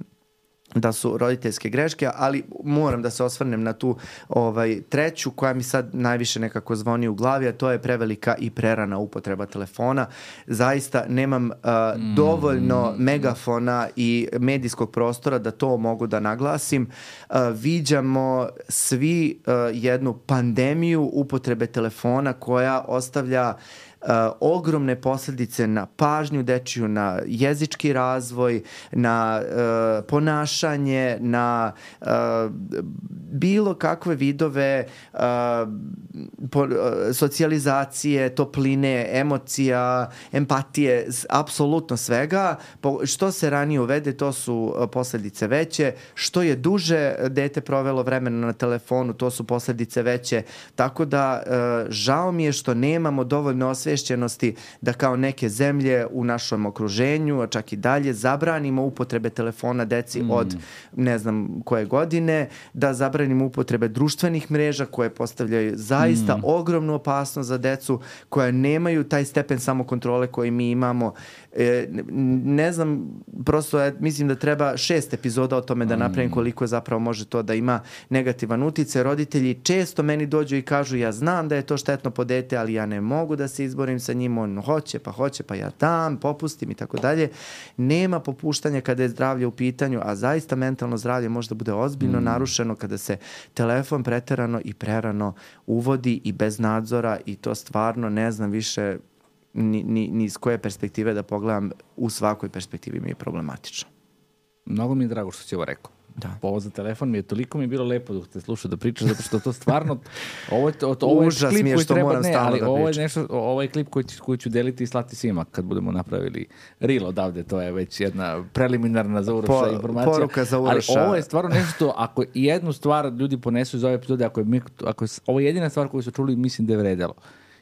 da su roditeljske greške, ali moram da se osvrnem na tu ovaj, treću koja mi sad najviše nekako zvoni u glavi, a to je prevelika i prerana upotreba telefona. Zaista nemam uh, mm. dovoljno megafona i medijskog prostora da to mogu da naglasim. Uh, viđamo svi uh, jednu pandemiju upotrebe telefona koja ostavlja Uh, ogromne posljedice na pažnju dečiju, na jezički razvoj, na uh, ponašanje, na uh, bilo kakve vidove uh, po, uh, socijalizacije, topline, emocija, empatije, apsolutno svega. Po, što se ranije uvede, to su uh, posljedice veće. Što je duže dete provelo vremena na telefonu, to su posljedice veće. Tako da uh, žao mi je što nemamo dovoljno osviješćenosti da kao neke zemlje u našem okruženju, a čak i dalje, zabranimo upotrebe telefona deci mm. od ne znam koje godine, da zabranimo upotrebe društvenih mreža koje postavljaju zaista mm. ogromnu opasnost za decu, koja nemaju taj stepen samokontrole koji mi imamo. E, ne znam, prosto je, mislim da treba šest epizoda o tome da napravim koliko zapravo može to da ima negativan uticaj. Roditelji često meni dođu i kažu, ja znam da je to štetno po dete, ali ja ne mogu da se izborim sa njim, on hoće, pa hoće, pa ja dam, popustim i tako dalje. Nema popuštanja kada je zdravlje u pitanju, a zaista mentalno zdravlje može da bude ozbiljno mm. narušeno kada se telefon preterano i prerano uvodi i bez nadzora, i to stvarno ne znam više ni, ni, ni iz koje perspektive da pogledam. U svakoj perspektivi mi je problematično. Mnogo mi je drago što si ovo rekao. Da. Ovo za telefon mi je toliko mi je bilo lepo dok te slušao da pričaš, zato što to stvarno ovo je, to, ovo je klip je koji treba, ne, ali da ovo je nešto, ovo je klip koji, koji ću deliti i slati svima kad budemo napravili reel odavde, to je već jedna preliminarna za Uroša po, informacija. Poruka za Uroša. Ali ovo je stvarno nešto, ako jednu stvar ljudi ponesu iz ove epizode, ako je, ako je ovo je jedina stvar koju su čuli, mislim da je vredelo.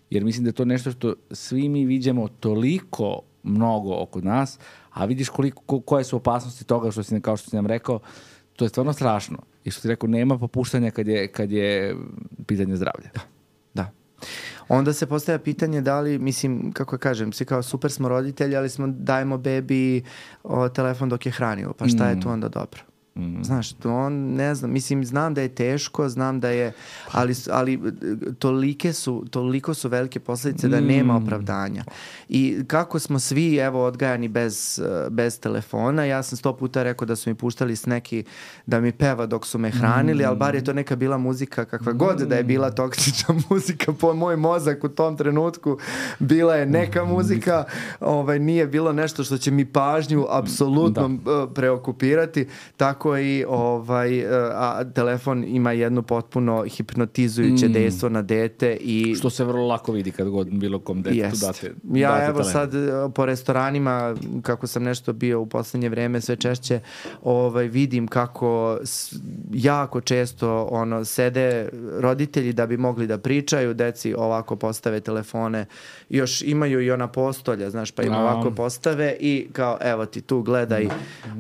Jer mislim da je to nešto što svi mi viđamo toliko mnogo oko nas, a vidiš koliko, ko, koje su opasnosti toga, što si, kao što si nam rekao, to je stvarno strašno. I što ti rekao, nema popuštanja kad je, kad je pitanje zdravlja. Da, da. Onda se postavlja pitanje da li, mislim, kako kažem, svi kao super smo roditelji, ali smo dajemo bebi o, telefon dok je hranio. Pa šta mm. je tu onda dobro? Mm. Znaš, to on, ne znam, mislim, znam da je teško, znam da je, ali, ali tolike su, toliko su velike posljedice da nema opravdanja. I kako smo svi, evo, odgajani bez, bez telefona, ja sam sto puta rekao da su mi puštali sneki da mi peva dok su me hranili, mm. ali bar je to neka bila muzika, kakva god da je bila toksična muzika po moj mozak u tom trenutku, bila je neka muzika, ovaj, nije bilo nešto što će mi pažnju apsolutno da. preokupirati, tako i ovaj, a telefon ima jednu potpuno hipnotizujuće mm. dejstvo na dete. I što se vrlo lako vidi kad god bilo kom detetu date. Ja date evo telefon. Sad po restoranima, kako sam nešto bio u poslednje vreme, sve češće ovaj, vidim kako jako često ono, sede roditelji da bi mogli da pričaju, deci ovako postave telefone, još imaju i ona postolja, znaš, pa im ovako postave i kao evo ti tu gledaj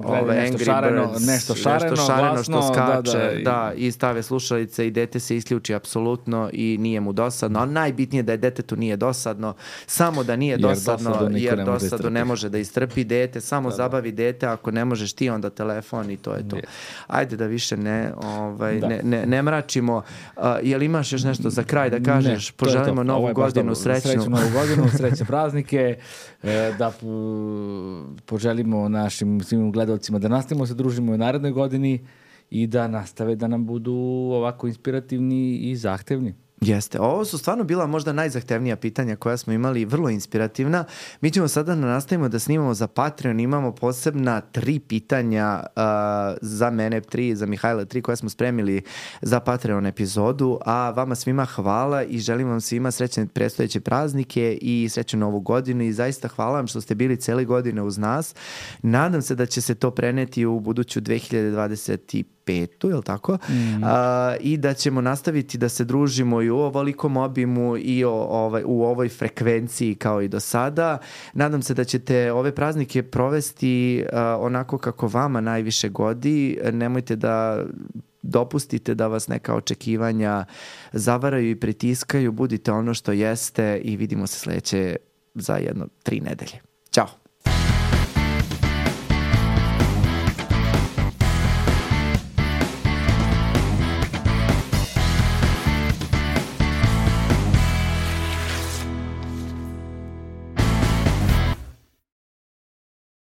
ove Angry šareno, Birds, nešto šareno, nešto šareno glasno, što skače, da, da, da, i stave slušalice i dete se isključi apsolutno i nije mu dosadno, ali najbitnije da je detetu nije dosadno, samo da nije jer dosadno, dosadu jer ne dosadu ne može da istrpi dete, samo da, zabavi dete, ako ne možeš ti onda telefon i to je to. Je. Ajde da više ne, ovaj, da. ne, ne, ne mračimo. Uh, jel imaš još nešto za kraj da kažeš? Ne, poželimo novu godinu srećnu. Srećnu novu godinu, srećne praznike, da poželimo našim svim gledalcima da nastavimo se družimo u narednoj godini i da nastave da nam budu ovako inspirativni i zahtevni. Jeste. Ovo su stvarno bila možda najzahtevnija pitanja koja smo imali, vrlo inspirativna. Mi ćemo sada da nastavimo da snimamo za Patreon, imamo posebna tri pitanja uh, za mene tri, za Mihajla tri koja smo spremili za Patreon epizodu, a vama svima hvala i želim vam svima srećne predstojeće praznike i srećnu novu godinu i zaista hvala vam što ste bili cele godine uz nas. Nadam se da će se to preneti u buduću dve hiljade dvadeset petu, je li tako? Mm. A, i da ćemo nastaviti da se družimo i u ovolikom obimu i o, ovaj, u ovoj frekvenciji kao i do sada. Nadam se da ćete ove praznike provesti a, onako kako vama najviše godi. Nemojte da dopustite da vas neka očekivanja zavaraju i pritiskaju. Budite ono što jeste i vidimo se sledeće za jedno tri nedelje. Ćao!